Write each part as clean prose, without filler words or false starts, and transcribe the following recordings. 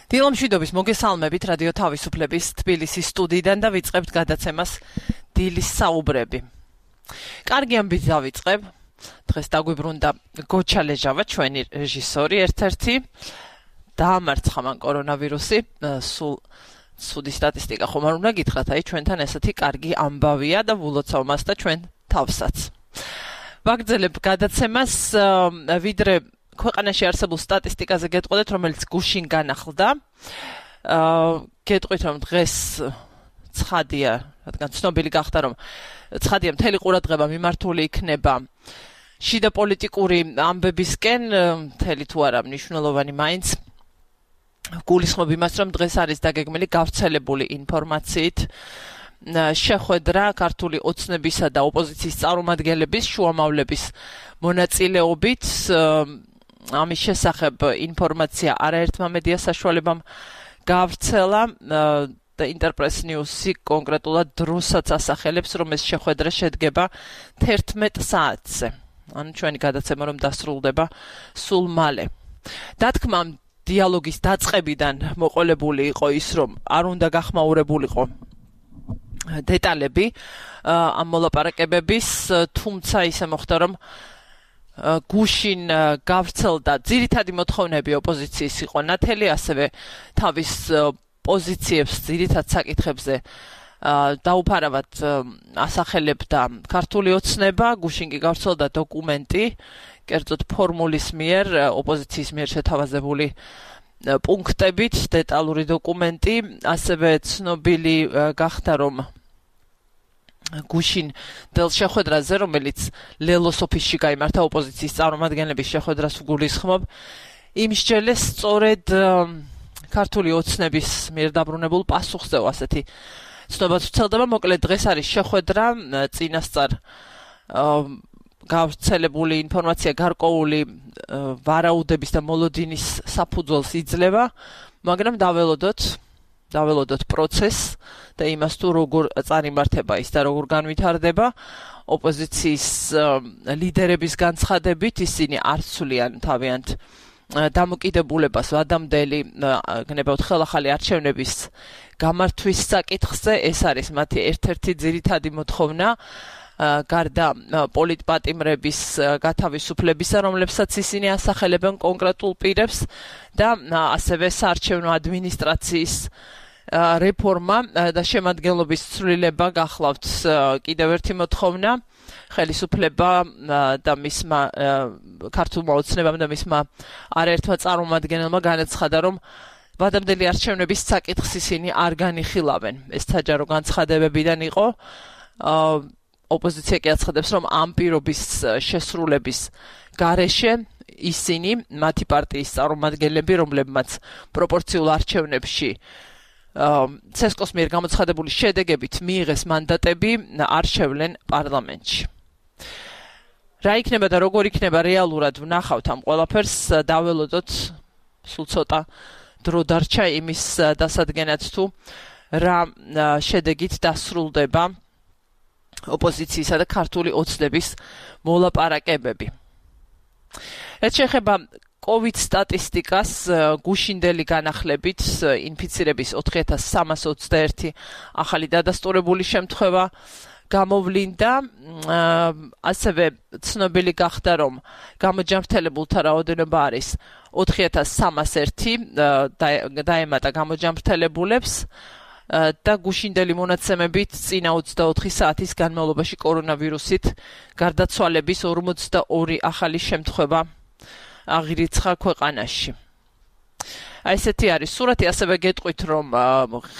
დილა მშვიდობის მოგესალმებით რადიო თავისუფლების თბილისის სტუდიიდან და ვიწყებთ გადაცემას დილის საუბრები. კარგი ამბით დავიწყებ. დღეს დაგვიბრუნდა გოჩა ლეჟავა, ჩვენი რეჟისორი ერთ-ერთი. დაამარცხა მან კორონავირუსი, სულ ცუდი სტატისტიკა ხომ არ უნდა გითხრათ, აი ჩვენთან ესეთი კარგი ამბავია და ვულოცავ მას და ჩვენ თავსაც. ვაგრძელებ გადაცემას, ვიდრე ქვეყანაში არსებულ სტატისტიკაზე გეტყოდეთ, რომელიც გუშინ განახლდა. გეტყვით, რომ დღეს ცხადია, რადგან ცნობილი გახდა, რომ ცხადია მთელი ყურადღება მიმართული იქნება შიდა პოლიტიკური ამბებისკენ, მთელი თუ არა მნიშვნელოვანი მაინც გულისხმობ იმას, რომ დღეს არის დაგეგმილი გავრცელებული ინფორმაციით შეხვედრა ქართული ოცნებისა და ოპოზიციის წარმომადგენლების შუამავლების მონაწილეობით. ამის შესახებ ინფორმაცია არაერთმა მედია საშუალებამ გავრცელა და ინტერპრეს ნიუსი კონკრეტულად დროსაც ასახელებს, რომ ეს შეხვედრა შედგება 11 საათზე. ანუ ჩვენი გადაცემა რომ დასრულდება სულ მალე. დათქმამ დიალოგის დაწყებიდან მოყოლებული იყო ის, რომ არ უნდა გახმაურებულიყო დეტალები ამ მოლაპარაკებების, თუმცა ისე მოხდა, რომ გუშინ გავრცელდა ძირითადი მოთხოვნები ოპოზიციის იყო ნათელი, ასევე თავის პოზიციებს ძირითად საკითხებზე დაუფარავად ასახელებდა ქართული ოცნება. გუშინ კი გავრცელდა დოკუმენტი, კერძოდ ფორმულის მიერ, ოპოზიციის მიერ შეთავაზებული პუნქტებით, დეტალური დოკუმენტი. ასევე ცნობილი გახდა, რომ გუშინ დელ შეხვედრაზე, რომელიც ლელოს ოფისში გაიმართა ოპოზიციის წარმომადგენლების შეხვედრას ვგულისხმობ, იმსჯელეს სწორედ ქართული ოცნების მიერ დაბრუნებულ პასუხზეო, ასეთი ცნობაც ვრცელდება. მოკლედ დღეს არის შეხვედრა, წინასწარ გავრცელებული ინფორმაცია გარკვეული ვარაუდების და მოლოდინის საფუძველს იძლევა, მაგრამ დაველოდოთ პროცესს და იმას თუ როგორ წარიმართება ის და როგორ განვითარდება. ოპოზიციის ლიდერების განცხადებით ისინი არ ცვლიან თავიანთ დამოკიდებულებას ვადამდელი გნებავთ ხელახალი არჩევნების გამართვის საკითხზე. ეს არის მათი ერთ-ერთი ძირითადი მოთხოვნა, გარდა პოლიტპატიმრების გათავისუფლებისა, რომლებსაც ისინი ასახელებენ კონკრეტულ პირებს და ასევე საარჩევნო ადმინისტრაციის რეფორმა და შემადგენლობის ცვლილება გახლავთ კიდევ ერთი მოთხოვნა. ხელისუფლება და მისმა ქართულმა ოცნებამ და მისმა არაერთმა წარმომადგენელმა განაცხადა, რომ ვადამდელი არჩევნების საკითხს ისინი არ განიხილავენ. ეს საჯარო განცხადებებიდან იყო. ოპოზიცია კი აცხადებს, რომ ამ პირობის შესრულების გარეშე ისინი, მათი პარტიის წარმომადგენლები, რომლებმაც პროპორციულ არჩევნებში ცესკოს მიერ გამოცხადებული შედეგებით მიიღეს მანდატები, არ შევლენ პარლამენტში. რა იქნება და როგორ იქნება რეალურად ვნახავთ ამ ყველაფერს, დაველოდოთ, სულ ცოტა დრო დარჩა იმის დასადგენად თუ რა შედეგით დასრულდება ოპოზიციისა და ქართული ოცნების მოლაპარაკებები. რაც შეეხება COVID სტატისტიკას, გუშინდელი განახლებით ინფიცირების 4321 ახალი დადასტურებული შემთხვევა გამოვლინდა. ასევე ცნობილი გახდა, რომ გამოჯანმრთელებულთა რაოდენობა არის 4301 დაემატა გამოჯანმრთელებულებს და გუშინდელი მონაცემებით წინა 24 საათის განმავლობაში კორონავირუსით გარდაცვალების 42 ახალი შემთხვევა აღირიცხა ქვეყანაში. ესეთი არის სურათი. ასევე გეტყვით, რომ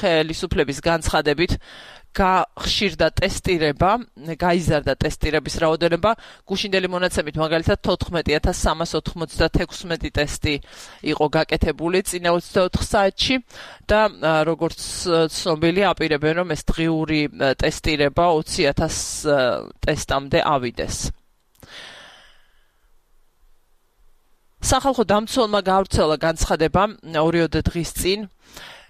ხელისუფლების განცხადებით გახშირდა ტესტირება, გაიზარდა ტესტირების რაოდენობა. გუშინდელი მონაცემით მაგალითად 14396 ტესტი იყო გაკეთებული წინა 24 საათში და როგორც ცნობილია, აპირებენ, რომ ეს დღიური ტესტირება 20000 ტესტამდე ავიდეს. სახალხო დამცველმა გავრცელა განცხადება 2 დღის წინ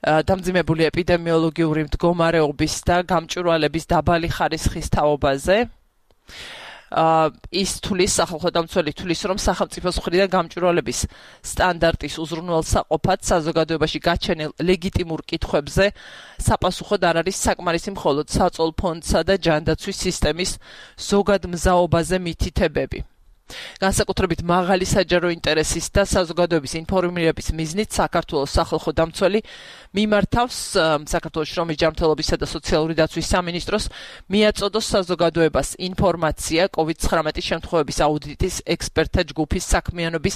დამძიმებული ეპიდემიოლოგიური მდგომარეობის და გამჭვირვალების დაბალი ხარისხის თაობაზე. ის თulis სახალხო დამცველი თulis რომ სახელმწიფოს მხრიდან გამჭვირვალების სტანდარტის უზრუნველსაყოფად საზოგადოებაში გაჩენილ ლეგიტიმურ კითხვებზე საპასუხოდ არ არის საკმარისი მხოლოდ საწოლ ფონდსა და ჯანდაცვის სისტემის ზოგადმზაობაზე მითითებები. განსაკუთრებით მაღალი საჯარო ინტერესის და საზოგადოების ინფორმირების მიზნით საქართველოს სახალხო დამცველი მიმართავს საქართველოს შრომის ჯანმრთელობისა და სოციალური დაცვის სამინისტროს მიაწოდოს საზოგადოებას ინფორმაცია COVID-19 შემთხვევების აუდიტის ექსპერტთა ჯგუფის საქმიანობის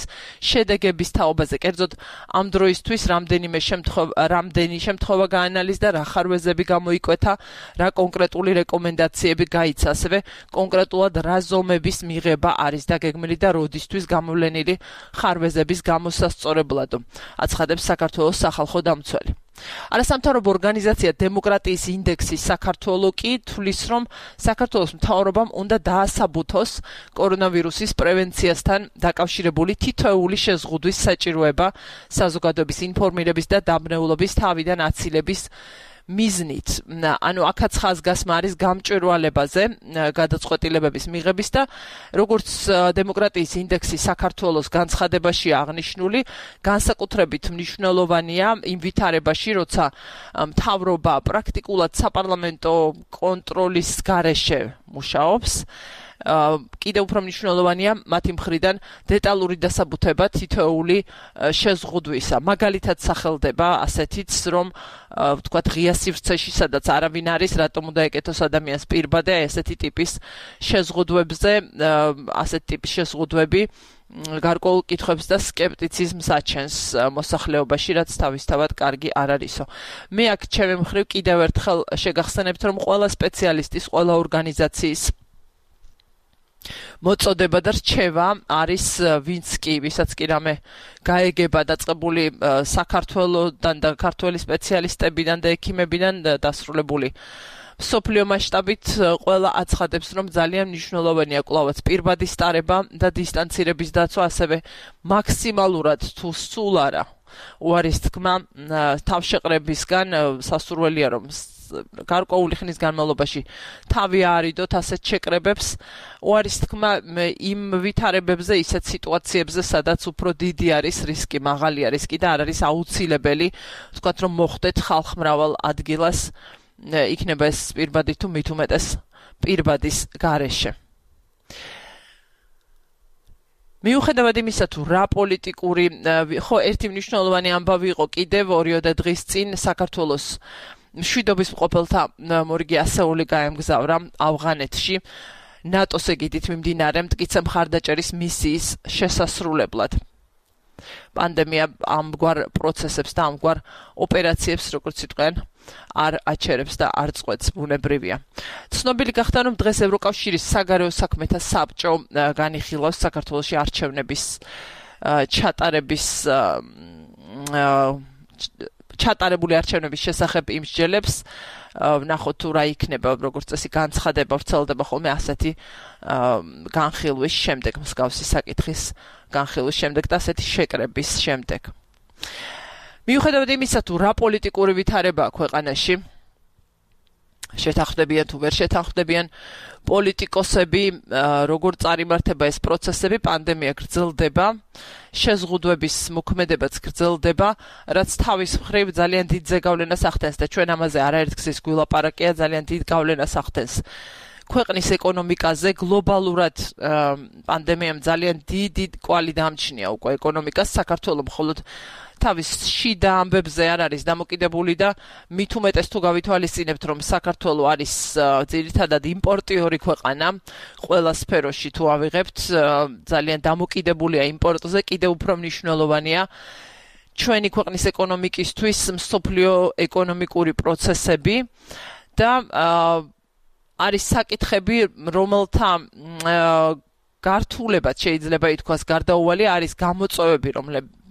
შედეგების თაობაზე. კერძოდ ამ დროისთვის რამდენი შემთხვევა გაანალიზდა, რა ხარვეზები გამოიკვეთა, რა კონკრეტული რეკომენდაციები გაიცა, ასევე კონკრეტულად რა ზომების მიღება არის გეგმილი და როდისთვის გამოვლენილი ხარვეზების გამოსასწორებლად, აცხადებს საქართველოს სახალხო დამცველი. არასამთავრობო ორგანიზაცია დემოკრატიის ინდექსის საქართველო კი თulis რომ საქართველოს მთავრობამ უნდა დაასაბუთოს კორონავირუსის პრევენციასთან დაკავშირებული თითოეული შეზღუდვის საჭიროება საზოგადოების ინფორმირების და დაბნეულობის თავიდან აცილების მიზნით. ანუ აქაც ხაზგასმა არის გამჭვირვალებაზე გადაწყვეტილებების მიღების და როგორც დემოკრატიის ინდექსი საქართველოს განცხადებაში აღნიშნული, განსაკუთრებით მნიშვნელოვანია იმ ვითარებაში, როცა მთავრობა პრაქტიკულად საპარლამენტო კონტროლის გარეშე მუშაობს. კიდევ უფრო მნიშვნელოვანია მათი მხრიდან დეტალური დასაბუთება თითოეული შეზღუდვისა. მაგალითად სახელდება ასეთიც, რომ ვთქვათ ღია სივრცეში, სადაც არავინ არის, რატომ უნდა ეკეთოს ადამიანს პირბადე ესეთი ტიპის შეზღუდვებზე, ასეთი ტიპის შეზღუდვები გარკვეულ კითხვებს და სკეპტიციზმს აჩენს მოსახლეობაში, რაც თავისთავად კარგი არ არისო. მე აქ ჩემი მხრივ კიდევ ერთხელ შეგახსენებთ, რომ ყველა სპეციალისტის, ყველა ორგანიზაციის მოწოდება და რჩევა არის ვინც კი, ვისაც კი რამე გაეგება დაწყებული საქართველოდან და ქართველი სპეციალისტებიდან და ექიმებიდან დასრულებული მსოფლიო მასშტაბით ყველა აცხადებს, რომ ძალიან მნიშვნელოვანია კვლავაც პირბადის ტარება და დისტანცირების დაცვა, ასევე მაქსიმალურად თუ სულ არა უარის თქმა თავშეყრებისგან სასურველია, რომ გარკვეული ხნის განმავლობაში თავი აარიდოთ ასეთ შეკრებებს. უარის თქმა იმ ვითარებებზე, ისეთ სიტუაციებზე, სადაც უფრო დიდი არის რისკი, მაღალია რისკი და არ არის აუცილებელი, ვთქვათ, რომ მოხვდეთ ხალხმრავალ ადგილას, იქნება ეს პირბადი თუ მით უმეტეს პირბადის გარეშე. მიუხედავად იმისა, თუ რა პოლიტიკური, ხო, ერთი მნიშვნელოვანი ამბავი იყო კიდევ 2 დღის წინ საქართველოს მშვიდობის მყოფელთა მორიგი ასეული გაემგზავრა ავღანეთში ნატოს ეგიდით მიმდინარე მტკიცე მხარდაჭერის მისიის შესასრულებლად. პანდემია ამგვარ პროცესებს და ამგვარ ოპერაციებს, როგორც იტყვიან, არ აჩერებს და არ წყვეტს, ბუნებრივია. ცნობილი გახდა, რომ დღეს ევროკავშირის საგარეო საქმეთა საბჭო განიხილავს საქართველოში არჩევნების ჩატარებული არჩევნების შესახებ იმსჯელებს, ვნახოთ თუ რა იქნება, როგორც წესი განცხადება ვრცელდება ხოლმე ასეთი განხილვის შემდეგ, მსგავსი საკითხის განხილვის შემდეგ და ასეთი შეკრების შემდეგ. მიუხედავად იმისა, თუ რა პოლიტიკური ვითარებაა ქვეყანაში, შეთანხმდებიან თუ ვერ შეთანხმდებიან პოლიტიკოსები, როგორ წარიმართება ეს პროცესები, პანდემია გრძელდება, შეზღუდვების მოქმედებაც გრძელდება, რაც თავის მხრივ ძალიან დიდ ზეგავლენას ახდენს და ჩვენ ამაზე არაერთგზის გვილაპარაკია, ძალიან დიდ გავლენას ახდენს ქვეყნის ეკონომიკაზე. გლობალურად პანდემიამ ძალიან დიდი კვალი დამჩნია უკვე ეკონომიკას. საქართველოს მხოლოდ თავის შიდა ამბებზე არ არის დამოკიდებული და მით უმეტეს თუ გავითვალისწინებთ, რომ საქართველოს არის ძირითადად იმპორტიორი ქვეყანა, ყველა სფეროში თუ ავიღებთ, ძალიან დამოკიდებულია იმპორტზე, კიდევ უფრო მნიშვნელოვანია ჩვენი ქვეყნის ეკონომიკისთვის მსოფლიო ეკონომიკური პროცესები და არის საკითხები, რომელთა გართულებაც შეიძლება ითქვას გარდაუვალი, არის გამოწვევები,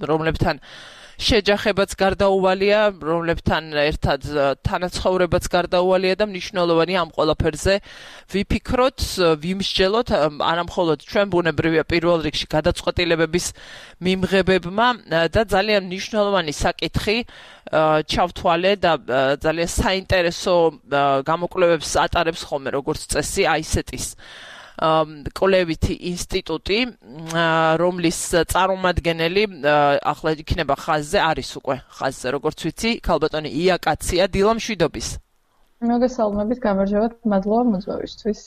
რომლებთან შეჯახებაც გარდაუვალია, რომლებთან ერთად თანაცხოვრებაც გარდაუვალია და მნიშვნელოვანია ამ ყველაფერზე ვიფიქროთ, ვიმსჯელოთ, არამხოლოდ ჩვენ ბუნებრივია პირველ რიგში გადაწყვეტილებების მიმღებებმა და ძალიან მნიშვნელოვანი საკითხი ჩავთვალე და ძალიან საინტერესო გამოკვლევებს ატარებს ხოლმე როგორც წესი ICT-ის კოლევითი ინსტიტუტი, რომლის წარმომადგენელი ახლა იქნება ხაზზე, არის უკვე ხაზზე, როგორც ვიცი, ქალბატონი იაკაცია დილამშვიდობის. მოგესალმებით, გამარჯობათ, მადლობა მოწვევისთვის.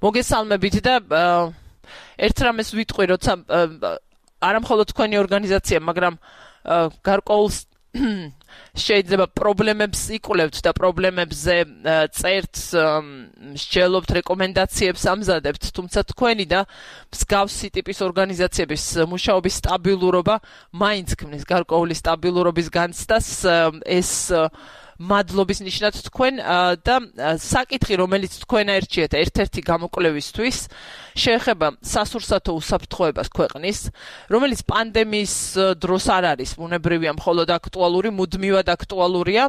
მოგესალმებით და ერთ რამეს ვიტყვი, როცა არა მხოლოდ თქვენი ორგანიზაცია, მაგრამ გარკვეულ შეიძლება პრობლემებს იკვლევთ და პრობლემებზე წერთ, მსჯელობთ, რეკომენდაციებს ამზადებთ, თუმცა თქვენი და მსგავსი ტიპის ორგანიზაციების მუშაობის სტაბილურობა მაინც ქმნის გარკვეული სტაბილურობის განცდას, ეს მადლობის ნიშნად თქვენ და საკითხი, რომელიც თქვენ აერჩიეთ ერთ-ერთი გამოკვლევისთვის, შეეხება სასურსათო უსაფრთხოებას ქვეყნის, რომელიც პანდემიის დროს არ არის ბუნებრივია მხოლოდ აქტუალური, მუდმივად აქტუალურია,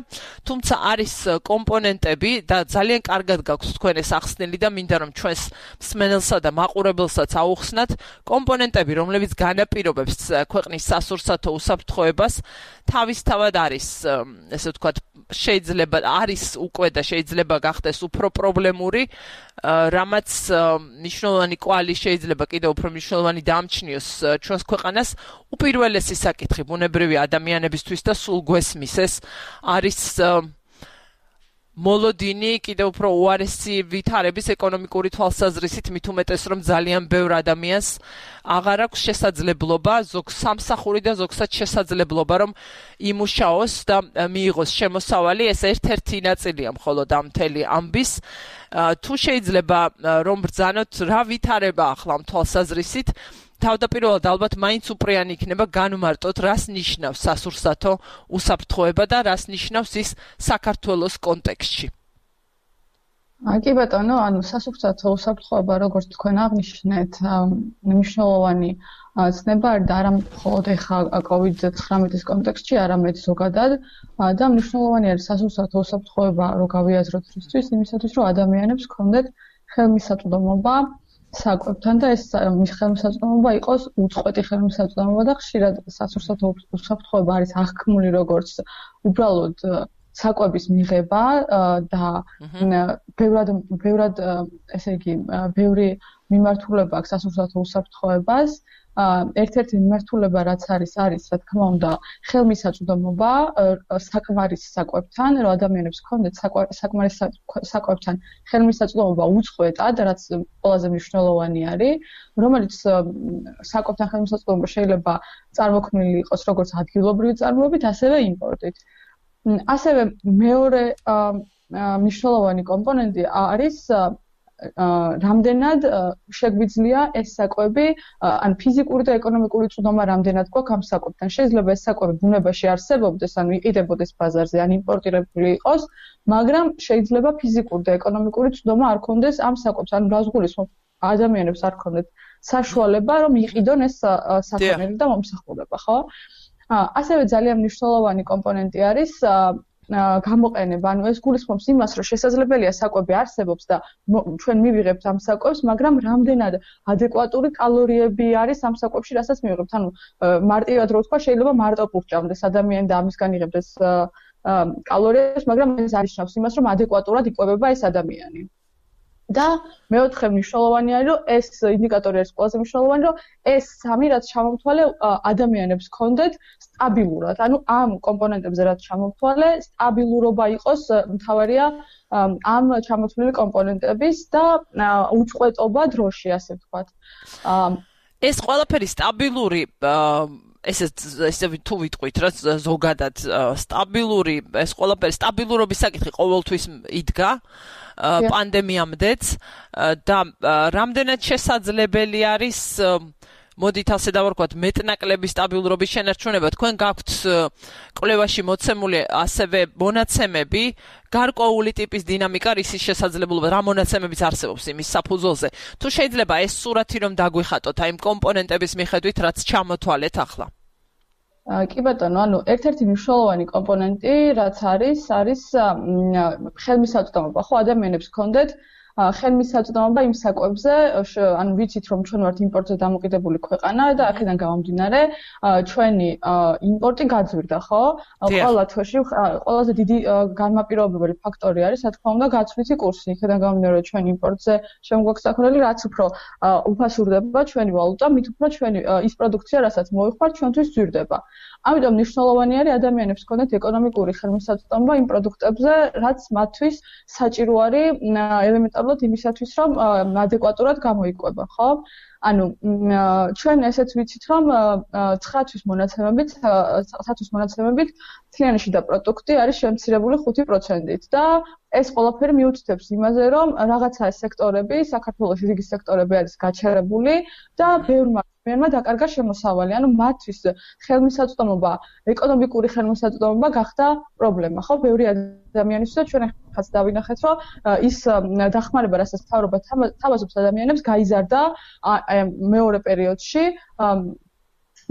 თუმცა არის კომპონენტები და ძალიან კარგად გაქვთ თქვენ ეს ახსნილი და მინდა რომ ჩვენს მსმენელსა და მაყურებელსაც აუხსნათ კომპონენტები, რომლებიც განაპირობებს ქვეყნის სასურსათო უსაფრთხოებას, თავისთავად არის, ესე ვთქვათ, შეიძლება არის უკვე და შეიძლება გახდეს უფრო პრობლემური, რამაც მნიშვნელოვანი კვალი შეიძლება კიდევ უფრო მნიშვნელოვანი დამჩნიოს ჩვენს ქვეყანას. უპირველესი საკითხი ბუნებრივი ადამიანებისთვის და სულ გვესმის ეს არის მოლოდინი კიდევ უფრო უარესი ვითარების ეკონომიკური თვალსაზრისით, მით უმეტეს რომ ძალიან ბევრ ადამიანს აღარ აქვს შესაძლებლობა, ზოგ სამსახური და ზოგსაც შესაძლებლობა რომ იმუშაოს და მიიღოს შემოსავალი, ეს ერთ-ერთი ნაწილია მხოლოდ ამ მთელი ამბის. თუ შეიძლება რომ ბრძანოთ რა ვითარება ახლა ამ თვალსაზრისით, თავდაპირველად ალბათ მაინც უპრიანი იქნება განმარტოთ, რას ნიშნავს სასურსათო უსაფრთხოება და რას ნიშნავს ის საქართველოს კონტექსტში. კი ბატონო, სასურსათო უსაფრთხოება, როგორც თქვენ აღნიშნეთ, მნიშვნელოვანი ცნება არის და არა მხოლოდ ახლა COVID-19-ის კონტექსტში, არამედ ზოგადად და მნიშვნელოვანი არის სასურსათო უსაფრთხოება, რო გავიაზროთ რისთვის, იმისათვის, რომ ადამიანებს ჰქონდეთ ხელმისაწვდომობა საკვებთან და ეს ხელმისაწვდომობა იყოს უწყვეტი ხელმისაწვდომობა და ხშირად სასურსათო უსაფრთხოება არის აღქმული როგორც უბრალოდ საკვების მიღება და ბევრად ესე იგი ბევრი მიმართულება აქვს სასურსათო უსაფრთხოებას. ერთ-ერთი მიმართულება რაც არის რა თქმა უნდა ხელმისაწვდომობა საკმარისი საკვებთან, რომ ადამიანებს ჰქონდეთ საკმარისი საკვებთან ხელმისაწვდომობა უწყვეტად, რაც ყველაზე მნიშვნელოვანი არის, რომელიც საკვებთან ხელმისაწვდომობა შეიძლება წარმოქმნილი იყოს როგორც ადგილობრივი წარმოებით, ასევე იმპორტით. ასევე მეორე მნიშვნელოვანი კომპონენტი არის რამდენად შეგვიძლია ეს საკვები, ან ფიზიკური და ეკონომიკური წვდომა რამდენად გვაქვს ამ საკვებთან. შეიძლება ეს საკვები ბუნებაში არსებობდეს, ანუ იყიდებოდეს ბაზარზე, ან იმპორტირებული იყოს, მაგრამ შეიძლება ფიზიკური და ეკონომიკური წვდომა არ ქონდეს ამ საკვებს, ანუ რას გულისხმობ, ადამიანებს არ ქონდეთ საშუალება, რომ იყიდონ ეს საქონელი და მომსახურება, ხო? ასევე ძალიან მნიშვნელოვანი კომპონენტი არის გამოყენება, ანუ ეს გულისხმობს იმას, რომ შესაძლებელია საკვები არსებობს და ჩვენ მივიღებთ ამ საკვებს, მაგრამ რამდენად ადეკვატური კალორიები არის ამ საკვებში, რასაც მივიღებთ. ანუ მარტივად რო ვთქვა, შეიძლება მარტო პურჭამდეს ადამიანი და ამისგან იღებდეს კალორიებს, მაგრამ ეს არ ნიშნავს იმას, რომ ადეკვატურად იკვებება ეს ადამიანი. და მეოთხე მნიშვნელოვანი არის, რომ ეს ინდიკატორი არის ყველაზე მნიშვნელოვანი, რომ ეს სამი რაც ჩამოვთვალე ადამიანებს ჰქონდეთ სტაბილურად. ანუ ამ კომპონენტებზე რაც ჩამოვთვალე, სტაბილურობა იყოს მთავარია ამ ჩამოთვლილი კომპონენტების და უწყვეტობა დროში, ასე ვთქვათ. ეს ყველაფერი სტაბილური ესე თუ ვიტყვით რა ზოგადად სტაბილური ეს ყველაფერი სტაბილურობის საკითხი ყოველთვის იდგა პანდემიამდეც და რამდენად შესაძლებელი არის მოდით ასე დავარქვათ მეტნაკლები სტაბილურობის შენარჩუნება. თქვენ გაქვთ კვლევაში მოცემული ასევე მონაცემები გარკვეული ტიპის დინამიკა რისის შესაძლებლობა რა მონაცემებიც არსებობს იმის საფუძველზე. თუ შეიძლება ეს სურათი რომ დაგვიხატოთ აი იმ კომპონენტების მიხედვით რაც ჩამოთვალეთ ახლა. კი ბატონო, ანუ ერთ-ერთი მნიშვნელოვანი კომპონენტი რაც არის ხელმისაწვდომობა. ხო ადამიანებს ჰქონდეთ ხელმისაწვდომობა იმ საკვებზე, ანუ ვიცით რომ ჩვენ ვართ იმპორტზე დამოკიდებული ქვეყანა და აქედან გამომდინარე ჩვენი იმპორტი გაძვირდა, ხო? ყველა თვეში ყველაზე დიდი განმაპირობებელი ფაქტორი არის, რა თქმა უნდა, გაცვლითი კურსი. იქედან გამომდინარე რომ ჩვენ იმპორტზე შემოგვაქვს საქმე, რაც უფრო უფასურდება ჩვენი ვალუტა, მით უფრო ჩვენი ის პროდუქცია, რასაც მოვიხმართ, ჩვენთვის ძვირდება. ამიტომ მნიშვნელოვანი არის ადამიანებს ჰქონდეთ ეკონომიკური ხელმისაწვდომობა იმ პროდუქტებზე, რაც მათთვის საჭირო არის ელემენტარულად იმისათვის, რომ ადეკვატურად გამოიკვება, ხო? ანუ ჩვენ ესეც ვიცით, რომ 9-თვის მონაცემებით მთლიანი შიდა პროდუქტი არის შემცირებული 5%-ით და ეს ყველაფერი მიუთითებს იმაზე, რომ რაღაცა სექტორები, საქართველოში რიგი სექტორები არის გაჩერებული და ბევრმა ადამიანმა დაკარგა შემოსავალი, ანუ მათთვის ხელმისაწვდომობა, ეკონომიკური ხელმისაწვდომობა გახდა პრობლემა, ხო? ბევრი ადამიანისთვის და ჩვენ ახაც დავინახეთ, რომ ის დახმარება, რასაც მთავრობა თავაზობს ადამიანებს, გაიზარდა მეორე პერიოდში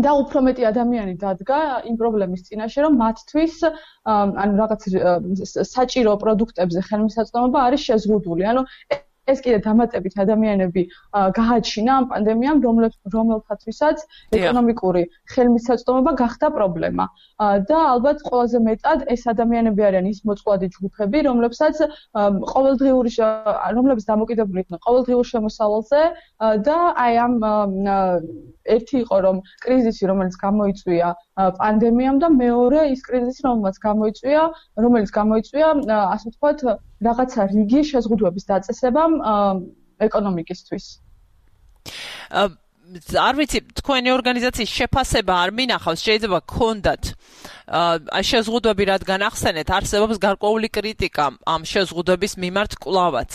და უფრო მეტი ადამიანი დადგა იმ პრობლემის წინაშე, რომ მათთვის ანუ რაღაც საჭირო პროდუქტებზე ხელმისაწვდომობა არის შეზღუდული. ანუ ეს კიდე დამატებით ადამიანები გააჩინა ამ პანდემიამ, რომელთათვისაც ეკონომიკური ხელმისაწვდომობა გახდა პრობლემა. და ალბათ ყველაზე მეტად ეს ადამიანები არიან ის მოწყვლადი ჯგუფები, რომლებსაც რომლებიც დამოკიდებული იყვნენ ყოველდღიურ შემოსავალზე და აი ამ ერთი იყო რომ კრიზისი, რომელიც გამოიწვია პანდემიამ და მეორე ის კრიზისი, რომელიც გამოიწვია, ასე ვთქვათ, რაღაცა რიგი შეზღუდვების დაწესებამ ეკონომიკისთვის. არ ვიცი, თქვენი ორგანიზაციის შეფასება არ მინახავს, შეიძლება გქონდათ შეზღუდვები, რადგან ახსენეთ, არსებობს გარკვეული კრიტიკა ამ შეზღუდვების მიმართ კვლავაც.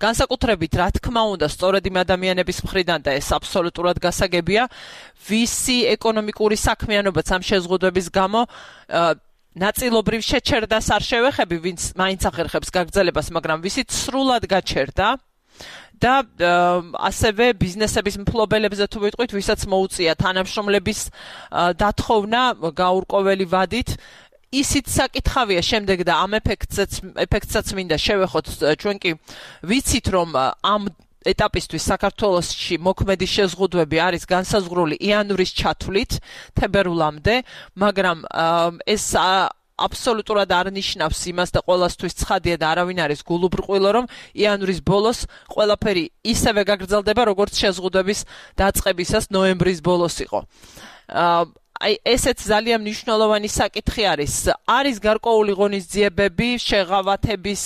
განსაკუთრებით, რა თქმა უნდა, სწორედ იმ ადამიანების მხრიდან და ეს აბსოლუტურად გასაგებია, ვისი ეკონომიკური საქმიანობაც ამ შეზღუდვების გამო ნაწილობრივ შეჩერდას არ შევეხები, ვინც მაინც ახერხებს გაგრძელებას, მაგრამ ვისით სრულად გაჩერდა და ასევე ბიზნესების მფლობელებზე თუ ვიტყვით, ვისაც მოუწია თანამშრომლების დათხოვნა გაურკვეველი ვადით, ისიც საკითხავია შემდეგ და ამ ეფექტსაც მინდა შევეხოთ. ჩვენ კი ვიცით, რომ ამ ეტაპისთვის საქართველოში მოქმედი შეზღუდვები არის განსაზღვრული იანვრის ჩათვლით თებერვლამდე, მაგრამ ეს აბსოლუტურად არ ნიშნავს იმას და ყველასთვის ცხადია და არავინ არის გულუბრყვილო, რომ იანვრის ბოლოს ყველაფერი ისევე გაგრძელდება, როგორც შეზღუდვების დაწყებისას ნოემბრის ბოლოს იყო. აი ესეც ძალიან მნიშვნელოვანი საკითხი არის. არის გარკვეული ღონისძიებები, შეღავათების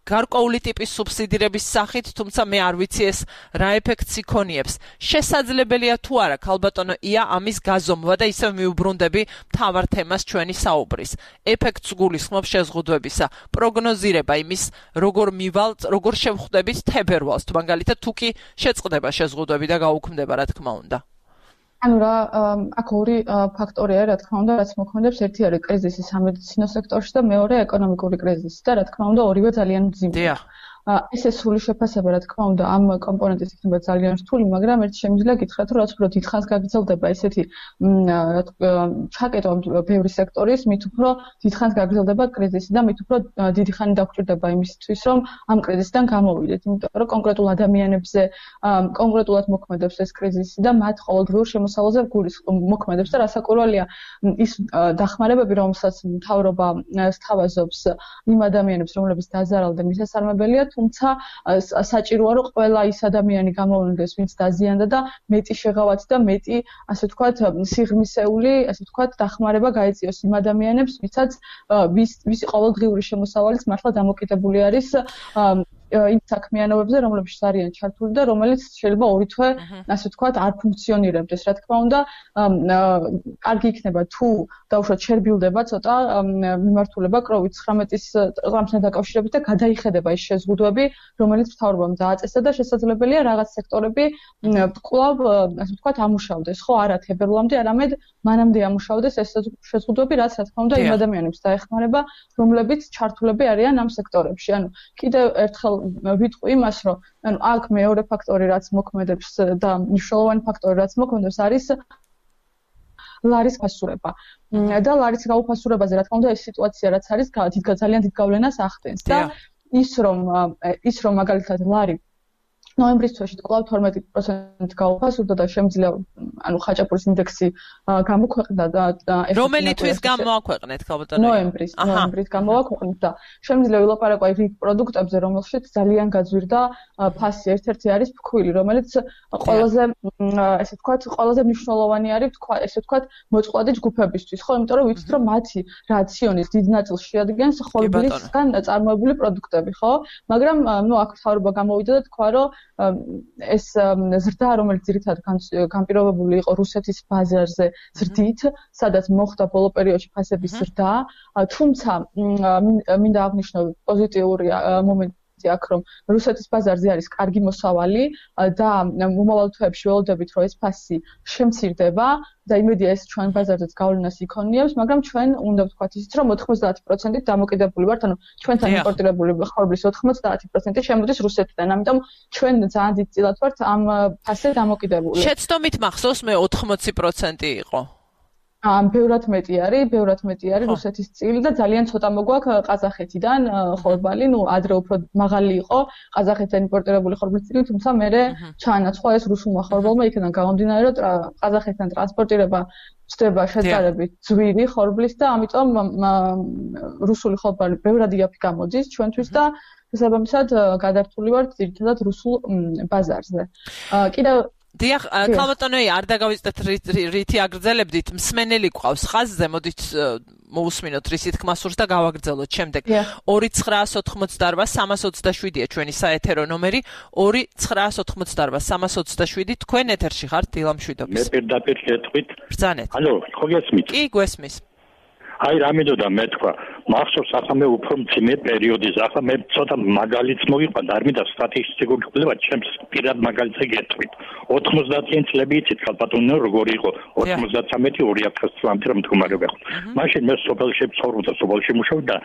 გარკვეული ტიპის სუბსიდირების სახით, თუმცა მე არ ვიცი ეს რა ეფექტს იქონიებს. შესაძლებელია თუ არა, ქალბატონო ია, ამის გაზომვა და ისევ მიუბრუნდები მთავარ თემას ჩვენი საუბრის. ეფექტს გულისხმობს შეზღუდვებისა, პროგნოზირება იმის, როგორ შევხვდებით თებერვალს, თუ მაგალითად თუ კი შეწყდება შეზღუდვები და გაუქმდება, რა თქმა უნდა. ანუ რა, აქ ორი ფაქტორია, რა თქმა უნდა, რაც მოქმედებს. ერთი არის კრიზისი სამედიცინო სექტორში და მეორე ეკონომიკური კრიზისი და რა თქმა უნდა, ორივე ძალიან მძიმეა. ესე სრული შეფასება, რა თქმა უნდა, ამ კომპონენტის იქნება ძალიან რთული, მაგრამ ერთ შემიძლია გითხრათ, რომ რაც უფრო დიდხანს გაგრძელდება ესეთი ჩაკეტვა ბევრი სექტორის, მით უფრო დიდხანს გაგრძელდება კრიზისი და მით უფრო დიდი ხანი დაგვჭირდება იმისთვის, რომ ამ კრიზისიდან გამოვიდეთ, იმიტომ რომ კონკრეტულ ადამიანებზე კონკრეტულად მოქმედებს ეს კრიზისი და მათ ყოველდღიურ შემოსავალზე მოქმედებს და რასაკვირველია, ის დახმარებები, რომელსაც მთავრობა სთავაზობს იმ ადამიანებს, რომლებიც დაზარალდნენ, მისასალმებელია, თუმცა საჭიროა რომ ყველა ის ადამიანი გამოვლინდეს, ვინც დაზიანდა და მეტი შეღავათი და მეტი, ასე ვთქვათ, სიღრმისეული, ასე ვთქვათ, დახმარება გაეწიოს იმ ადამიანებს, ვის ყოველდღიური შემოსავალიც მართლა დამოკიდებული არის იმ საქმიანობებზე, რომლებშიც არიან ჩართული და რომელიც შეიძლება ორი თვე, ასე ვთქვათ, არ ფუნქციონირებდეს. რა თქმა უნდა, კარგი იქნება თუ დაუშვათ შერბილდება ცოტა მიმართულება COVID-19-ის წამსთან დაკავშირებით და გადაიხედება ის შეზღუდვები, რომელიც მთავრობამ დააწესა და შესაძლებელია რაღაც სექტორები კვლავ, ასე ვთქვათ, ამუშავდეს, ხო, არა თებერვლამდე, არამედ მანამდე ამუშავდეს ეს შეზღუდვები, რაც რა თქმა უნდა იმ ადამიანებს დაეხმარება, რომლებიც ჩართულები არიან ამ სექტორებში. ანუ კიდევ ერთხელ ვიტყვი იმას, რომ ანუ აქ მეორე ფაქტორი, რაც მოქმედებს და მნიშვნელოვანი ფაქტორი, რაც მოქმედებს, არის ლარის გასურება. და ლარის გაუფასურებაზე, რა თქმა უნდა, ეს სიტუაცია, რაც არის, ძალიან დიდ გავლენას ახდენს და ის რომ მაგალითად ლარი ნოემბრის თვეში კვლავ 12% გაუფასურდა და შემძლია ანუ ხაჭაპურის ინდექსი გამოქვეყნდა და რომელი თვის გამოაქვეყნეთ ქალბატონო? ნოემბრის გამოაქვეყნეთ და შემძლია ვილაპარაკო რიგ პროდუქტებზე, რომელშიც ძალიან გაძვირდა ფასი. ერთ-ერთი არის ფქვილი, რომელიც ყველაზე ესე ვთქვათ, ყველაზე მნიშვნელოვანი არის ესე ვთქვათ, მოწყვლადი ჯგუფებისთვის, ხო, იმიტომ რომ ვიცით რომ მათი რაციონის დიდ ნაწილს შეადგენს ხორბლისგან წარმოებული პროდუქტები, ხო? მაგრამ ნუ აქ თავრობა გამოვიდა და თქვა რომ ეს ზრდა, რომელიც ძირითადად განპირობებული იყო რუსეთის ბაზარზე ზრდით, სადაც მოხდა ბოლო პერიოდში ფასების ზრდა, თუმცა მინდა აღნიშნო პოზიტიური მომენტი აქ, რომ რუსეთის ბაზარზე არის კარგი მოსავალი და მომავალ თვეებში ველოდებით, რომ ეს ფასი შემცირდება და იმედია ეს ჩვენ ბაზარზეც გავლენას იქონიებს, მაგრამ ჩვენ უნდა ვთქვათ ისიც, რომ 90%-ით დამოკიდებული ვართ, ანუ ჩვენთან იმპორტირებული ხორბლის 90% შემოდის რუსეთიდან, ამიტომ ჩვენ ძალიან დიდ წილად ვართ ამ ფასზე დამოკიდებული. შეცდომით მახსოვს მე 80% იყო. ბევრად მეტი არის რუსეთის წილი და ძალიან ცოტა მოგვაქვს ყაზახეთიდან ხორბალი, ნუ ადრე უფრო მაღალი იყო ყაზახეთიდან იმპორტირებული ხორბლის წილი, თუმცა მერე ჩაანაცვლა ეს რუსულმა ხორბალმა, იქიდან გამომდინარე, რომ ყაზახეთიდან ტრანსპორტირება ხდება შეძარებით ძვირი ხორბლის და ამიტომ რუსული ხორბალი ბევრად იაფი გამოდის ჩვენთვის და შესაბამისად გადართული ვართ ძირითადად რუსულ ბაზარზე. კიდევ დიახ, ქალბატონოი, არ დაგავიწყდეთ რითი აგრძელებდით, მსმენელი ყავს ხაზზე, მოდით მოусმინოთ რისი თქმა სურს და გავაგრძელოთ შემდეგ. 2988-327-ია ჩვენი საეთერო ნომერი, 2988-327, თქვენ ეთერში ხართ დილამშვიდობის. მე პირდაპირ გეტყვით. ბრძანეთ. ალო, ხო გესმით? კი, გვესმის. აი რამედოდა მე თქვა მახსოვს ახლა მე უფრო მძიმე პერიოდის ახლა მე ცოტა მაგალითს მოგიყვანდა არ მინდა სტატისტიკურ კვლევას ჩემს პირად მაგალითზე გეტყვით 90-იან წლები იცით ქალბატონო როგორი იყო 93-2000 წლამდე რომ მდგომარეობა იყო მაშინ მე სოფელში ვცხოვრობდა სოფელში მუშაობდა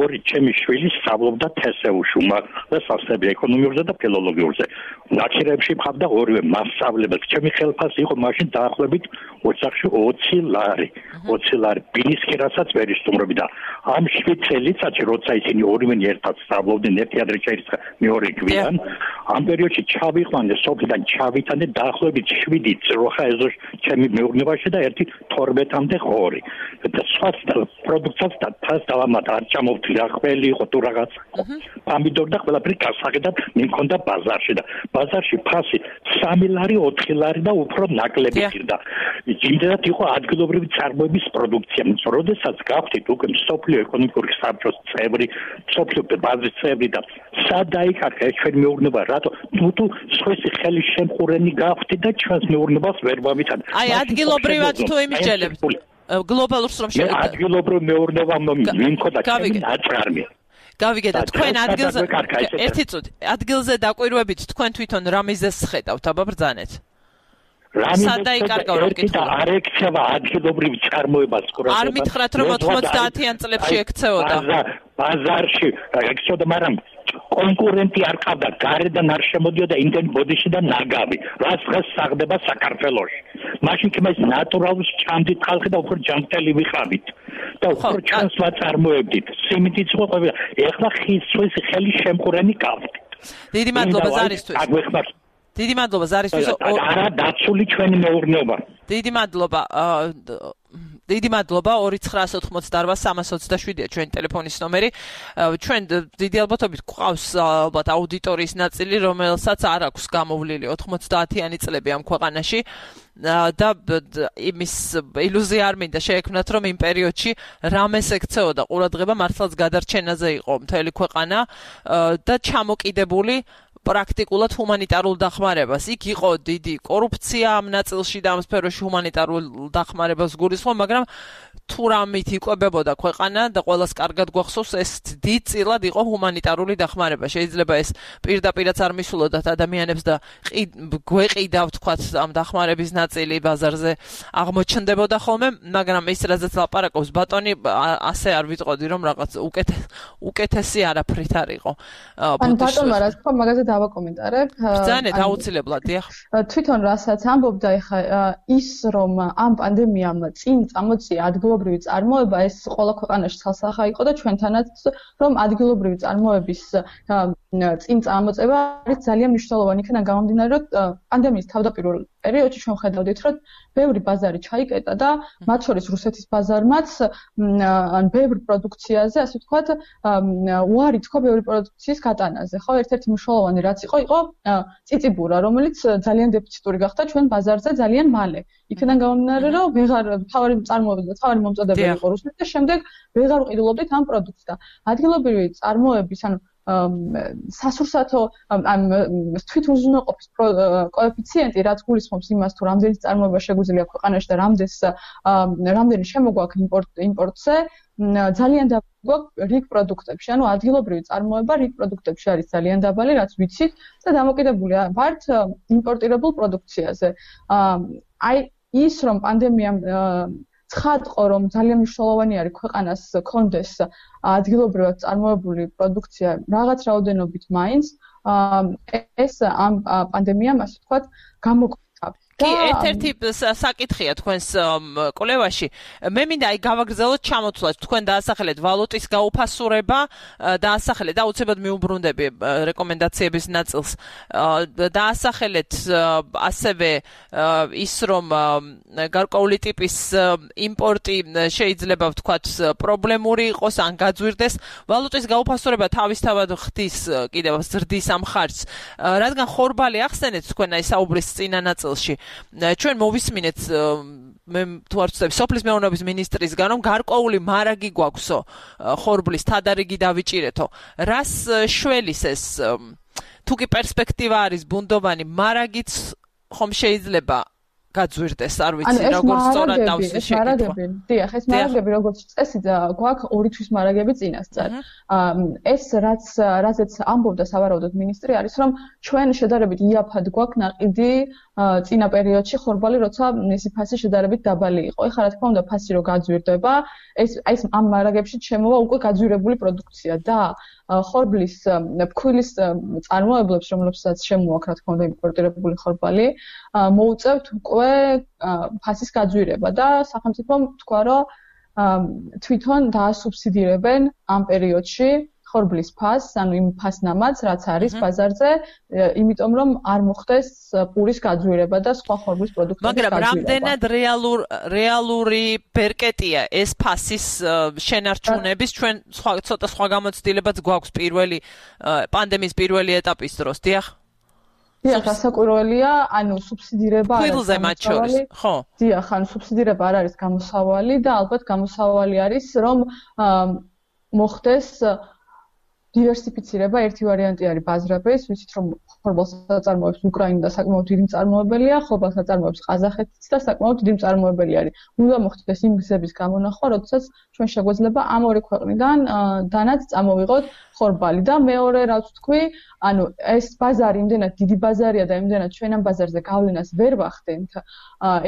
ორი ჩემი შვილი სწავლობდა თსევ-ში უმაღლეს სასწავლებლად ეკონომიურზე და ფილოლოგიურზე ნაკირებში მყავდა ორივე მასწავლებელი ჩემი ხელფასი იყო მაშინ დაახლოებით ოჯახში 20 ლარი ბინისკირასაც ვერ ისტუმრობი და ამ 7 წელიწადში როცა ისინი ორივე ერთად სწავლობდნენ ერთი ადრე ჩაირიცხა მეორე გვიან ამ პერიოდში ჩავიყვანე სოფლიდან ჩავითანე დაახლოებით 7 წროხა ეზო ჩემი მეურნეობაში და ერთი 12-მდე ღორი და სხვა პროდუქციას და თავს დავამატა არ ჩამოვთვლი რა ყველი იყო თუ რაღაც პომიდორი და ყველაფერი გასაღებად მიმქონდა ბაზარში და ბაზარში ფასი 3 ლარი 4 ლარი და უფრო ნაკლები ხირდა იმდენად იყო ადგილობრივი წარმოების პროდუქცია როდესაც გავხდით უკვე სოფლიო ეკონომიკური საბჭოს წევრი სოფლიო ბაზრის წევრი და სად დაიკარგა ჩვენი მეურნეობა რატო თუ სხვისი ხელის შემყურენი გავხდით და ჩვენს მეურნეობას ვერ ვამიცან აი ადგილობრივად თუ იმისჯელებთ გლობალურს რომ შეიძლება ადგილობრივ მეურნეობა მიმქონდა ჩემი აწარმი გავიგეთ თქვენ ადგილზე ერთი წუთი ადგილზე დაკვირვებით თქვენ თვითონ რა მიზეზს ხედავთ აბა ბრძანეთ არ ექცევა ადგილობრივ წარმოებას ყურადღებას არ მითხრათ რომ 90-იან წლებში ექცეოდა ბაზარში ექცეოდა მაგრამ კონკურენტი არ ყავდა გარედან არ შემოდიოდა იმდენი ბოდიში და ნაგავი რაც დღეს საღდება საქართველოში მაშინ კი მას ნატურალურს ჭამდით ხალხი და უფრო ჯანმრთელი ვიყავით და უფრო ჩანს ვაწარმოებდით სიმინდიც იყო ყველა ეხლა ხის ხელის შემყურენი გავთ დიდი მადლობა ზარისთვის დიდი მადლობა ზარისთვის არა დაცული ჩვენი მეურნეობა დიდი მადლობა 2988-327-ია ჩვენი ტელეფონის ნომერი ჩვენ დიდი ალბათობით გვყავს ალბათ აუდიტორიის ნაწილი რომელსაც არ აქვს გამოვლილი 90-იანი წლები ამ ქვეყანაში და იმის ილუზია არ მინდა შეექმნათ რომ იმ პერიოდში რამეს ექცეოდა ყურადღება მართლაც გადარჩენაზე იყო მთელი ქვეყანა და ჩამოკიდებული პრაქტიკულად ჰუმანიტარულ დახმარებას. იქ იყო დიდი კორუფცია ამ ნაწილში და ამ სფეროში ჰუმანიტარულ დახმარებას გულისხმობ, მაგრამ თუ რამით იკვებებოდა ქვეყანა და ყველას კარგად გვახსოვს ეს დიდწილად იყო ჰუმანიტარული დახმარება. შეიძლება ეს პირდაპირაც არ მისულოდათ ადამიანებს და გვეყიდა ვთქვათ ამ დახმარების ნაწილი ბაზარზე აღმოჩნდებოდა ხოლმე, მაგრამ ის რაზეც ლაპარაკობს ბატონი ასე არ ვიტყოდი რომ რაღაც უკეთესი არაფრით არ იყო. ანუ ბატონმა რა თქვა მაგაზე დავაკომენტარებ. ბრძანეთ აუცილებლად, დიახ. თვითონ რასაც ამბობდა ეხა ის რომ ამ პანდემიამ წინ წამოწია ადგილობრივ ადგილობრივი წარმოება ეს ყველა ქვეყანაში ცალსახა იყო და ჩვენთანაც რომ ადგილობრივი წარმოების წინ წამოწევა არის ძალიან მნიშვნელოვანი იქიდან გამომდინარე რომ პანდემიის თავდაპირველ პერიოდში ჩვენ ხედავდით რომ ბევრი ბაზარი ჩაიკეტა და მათ შორის რუსეთის ბაზარმაც ან ბევრ პროდუქციაზე ასე ვთქვათ უარი თქვა ბევრი პროდუქციის გატანაზე ხო ერთ-ერთი მნიშვნელოვანი რაც იყო წიწიბურა რომელიც ძალიან დეფიციტური გახდა ჩვენ ბაზარზე ძალიან მალე იქიდან გამომდინარე რომ ვეღარ თავარი წარმოებდა და თავარი მომწოდებელი იყო რუსეთს და შემდეგ ვეღარ ვყიდულობდით ამ პროდუქტს და ადგილობრივი წარმოების ანუ სასურსათო თვითუზრუნველყოფის კოეფიციენტი რაც გულისხმობს იმას თუ რამდენი წარმოება შეგვიძლია ქვეყანაში და რამდენი შემოგვაქვს იმპორტზე ძალიან დაბალი რიგ პროდუქტებში ანუ ადგილობრივი წარმოება რიგ პროდუქტებში არის ძალიან დაბალი რაც ვიცით და დამოკიდებულია ვართ იმპორტირებულ პროდუქციაზე აი ის რომ პანდემიამ ცხადყო რომ ძალიან მნიშვნელოვანი არის ქვეყანას კონდეს ადგილობრივად წარმოებული პროდუქცია რაღაც რაოდენობით მაინც ეს ამ პანდემიამ ასე ვთქვათ გამოგვიყვება კი ერთ-ერთი საკითხია თქვენს კვლევაში მე მინდა აი გავაგრძელოთ ჩამოთვლას თქვენ დაასახელეთ ვალუტის გაუფასურება დაასახელეთ და უცებად მიუბრუნდები რეკომენდაციების ნაწილს დაასახელეთ ასევე ის რომ გარკვეული ტიპის იმპორტი შეიძლება ვთქვათ პრობლემური იყოს ან გაძვირდეს ვალუტის გაუფასურება თავისთავად ხდის კიდევ ზრდის ამ ხარჯს რადგან ხორბალი ახსენეთ თქვენ აი საუბრის წინა ნაწილში ჩვენ მოვისმინეთ მე თუ არ ვცდები სოფლის მეურნეობის მინისტრისგან რომ გარკვეული მარაგი გვაქვსო ხორბლის თადარიგი დავიჭირეთო რას შველის ეს თუ კი პერსპექტივა არის ბუნდოვანი მარაგიც ხომ შეიძლება გაძვირდეს არ ვიცი როგორ სწორად დავსვი შეკითხვა დიახ ეს მარაგები როგორც წესი გვაქვს ორი თვის მარაგები წინასწარ ეს რაზეც ამბობდა სავარაუდოდ მინისტრი არის რომ ჩვენ შედარებით იაფად გვაქვს ნაყიდი წინა პერიოდში ხორბალი როცა მისი ფასი შედარებით დაბალი იყო ეხლა რა თქმა უნდა ფასი რო გაძვირდება ეს ამ მარაგებში შემოვა უკვე გაძვირებული პროდუქცია და ხორბლის ფქვილის წარმოებლებს რომლებსაც შემოაქვს რა თქმა უნდა იმპორტირებული ხორბალი მოუწევთ უკვე ფასის გაძვირება და სახელმწიფომ თქვა რომ თვითონ დაასუბსიდირებენ ამ პერიოდში ხორბლის ფასს, ანუ იმ ფასნამაც, რაც არის ბაზარზე, იმიტომ რომ არ მოხდეს პურის გაძვირება და სხვა ხორბლის პროდუქტების გაძვირება. მაგრამ რამდენად რეალური ბერკეტია ეს ფასის შენარჩუნების ჩვენ ცოტა სხვა გამოცდილებაც გვაქვს პირველი პანდემიის პირველი ეტაპის დროს, დიახ? დიახ, გასაკვირველია, ანუ სუბსიდირება არის ხილზე მათ შორის, ხო? დიახ, ანუ სუბსიდირება არ არის გამოსავალი და ალბათ გამოსავალი არის რომ მოხდეს დივერსიფიცირება ერთი ვარიანტი არის ბაზრების, ვიცით რომ ხორბალს აწარმოებს უკრაინა და საკმაოდ დიდი მწარმოებელია, ხორბალს აწარმოებს ყაზახეთიც და საკმაოდ დიდი მწარმოებელი არის. უნდა მოხდეს იმ გზების გამონახვა, როდესაც ჩვენ შეგვეძლება ამ ორი ქვეყნიდან დანაც წამოვიღოთ ხორბალი და მეორე რაც ვთქვი, ანუ ეს ბაზარი იმდენად დიდი ბაზარია და იმდენად ჩვენ ამ ბაზარზე გავლენას ვერ ვახდენთ.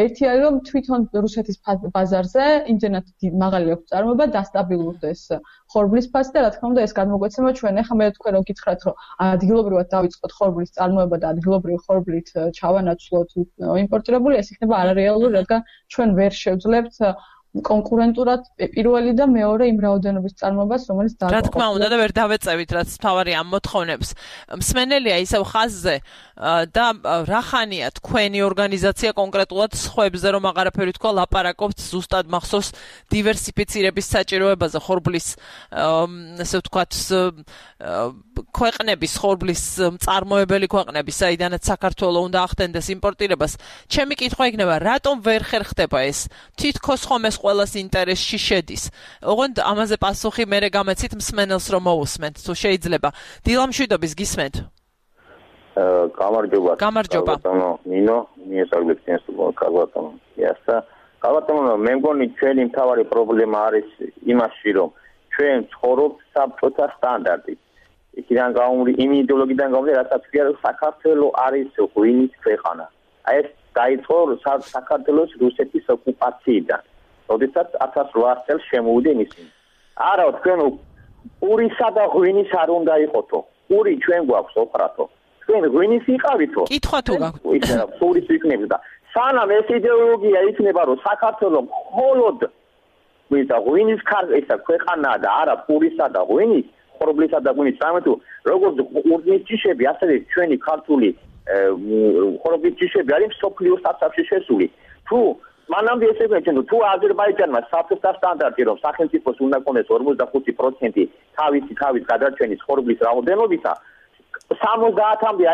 ერთი არის რომ თვითონ რუსეთის ბაზარზე იმდენად მაღალი აქვს წარმოება დასტაბილურდეს ხორბლის ფასი და რა თქმა უნდა ეს გადმოგვეცემა ჩვენ ახლა მე თქვენ რომ გითხრათ რომ ადგილობრივად დავიწყოთ ხორბლის წარმოება და ადგილობრივი ხორბლით ჩავანაცვლოთ იმპორტირებული ეს იქნება არარეალური რადგან ჩვენ ვერ შევძლებთ კონკურენტურად პირველი და მეორე იმ რაოდენობის წარმოებას რომელიც რა თქმა უნდა და ვერ დავეწევით რაც თავარი ამ მოთხოვნებს მსმენელია ისევ ხაზზე და რახანია თქვენი ორგანიზაცია კონკრეტულად სხვებზე რომ აღარაფერი თქვა ლაპარაკობთ ზუსტად მახსოვს დივერსიფიცირების საჭიროებაზე ხორბლის ასე ვთქვათ ქვეყნების ხორბლის მწარმოებელი ქვეყნების საიდანაც საქართველოს უნდა ახდენდეს იმპორტირებას ჩემი კითხვა იქნება რატომ ვერ ხერხდება ეს თითქოს ხომ ეს ყველას ინტერესში შედის. ოღონდ ამაზე პასუხი მერე გამეცით მსმენელს რომ მოусმენთ, თუ შეიძლება. დილამშვიდობის გისმენთ. გამარჯობა. გამარჯობა. ნინო, მიესალმებით წინას კალბატონო. იასა. კალბატონო, მე მგონი ჩვენი მთავარი პრობლემა არის იმაში, რომ ჩვენ ცხოვრობთ საბჭოთა სტანდარტით. იქიდან იმ იდეოლოგიიდან გამომდინარე, რასაც ქვია, რომ საქართველოს არის ღვინის ქვეყანა. აი ეს დაიწყო საქართველოს რუსეთის ოკუპაციიდან. როდესაც 1800 წელს შემოვიდნენ ისინი. არა, თქვენ პურისა და ღვინის არ უნდა იყოთო. პური ჩვენ გვაქვს ოქრათო. თქვენ ღვინის იყავითო. კითხვა თუ გაქვთ. პურის იქნება და სანამ ეს იდეოლოგია იქნება, რომ საქართველოს მხოლოდ ვინც ღვინის ქარისა ქვეყანა და არა პურისა და ღვინის ხორბლისა და ღვინის სამე თუ როგორც ურნის ჯიშები ასევე ჩვენი ქართული ხორბლის ჯიშები არის სოფლიოს საფსაფში შესული თუ მანამდე ესე ვეჩვენო თუ აზერბაიჯანმა საფრთხის სტანდარტი რომ სახელმწიფოს უნდა კონდეს 45% თავის გადარჩენის ხორბლის რაოდენობისა 70-მდე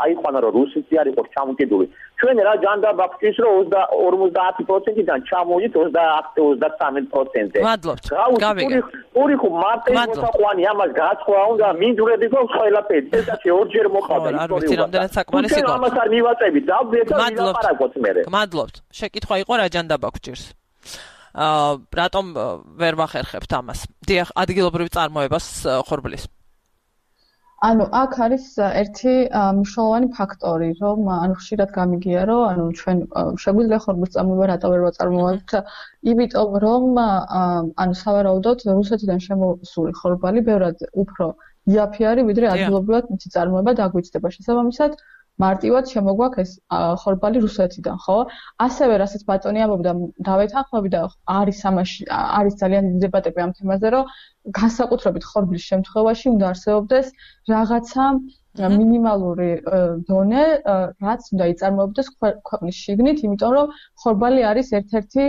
აიყვანა რომ რუსეთი არ იყოს ჩამოკიდული ჩვენ რა ჯანდაბ აქვს რომ 50%-დან ჩამოვიდეთ 30-33%-ზე მადლობთ გავიგე ორი ხო მარტო მოსაყვანი ამას გაცხვა უნდა მინდვრები გქონს ყველაფერი ესეთი ორჯერ მოყავდა ისტორიულად ამას არ მივაწევით დავდეთ და ვილაპარაკოთ მე მადლობთ შეკითხვა იყო რა ჯანდაბ აქვს ჭირს რატომ ვერ ვახერხებთ ამას დიახ ადგილობრივი წარმოებას ხორბლის ანუ აქ არის ერთი მნიშვნელოვანი ფაქტორი, რომ ხშირად გამიგია, რომ ჩვენ შეგვიძლია ხორბლის წარმოება რატო ვერ ვაწარმოებთ, იმიტომ რომ სავარაუდოდ რუსეთიდან შემოსული ხორბალი ბევრად უფრო იაფი არის, ვიდრე ადგილობრივად მისი წარმოება დაგვიწყდება. შესაბამისად, მარტივად შემოგვაქვს ეს ხორბალი რუსეთიდან, ხო? ასევე რასაც ბატონი ამბობდა, დავეთანხმები და არის ძალიან დიდი დებატები ამ თემაზე, რომ განსაკუთრებით ხორბლის შემთხვევაში უნდა არსებობდეს რაღაცა მინიმალური დონე, რაც უნდა იწარმოებდეს ქვეყნის შიგნით, იმიტომ რომ ხორბალი არის ერთ-ერთი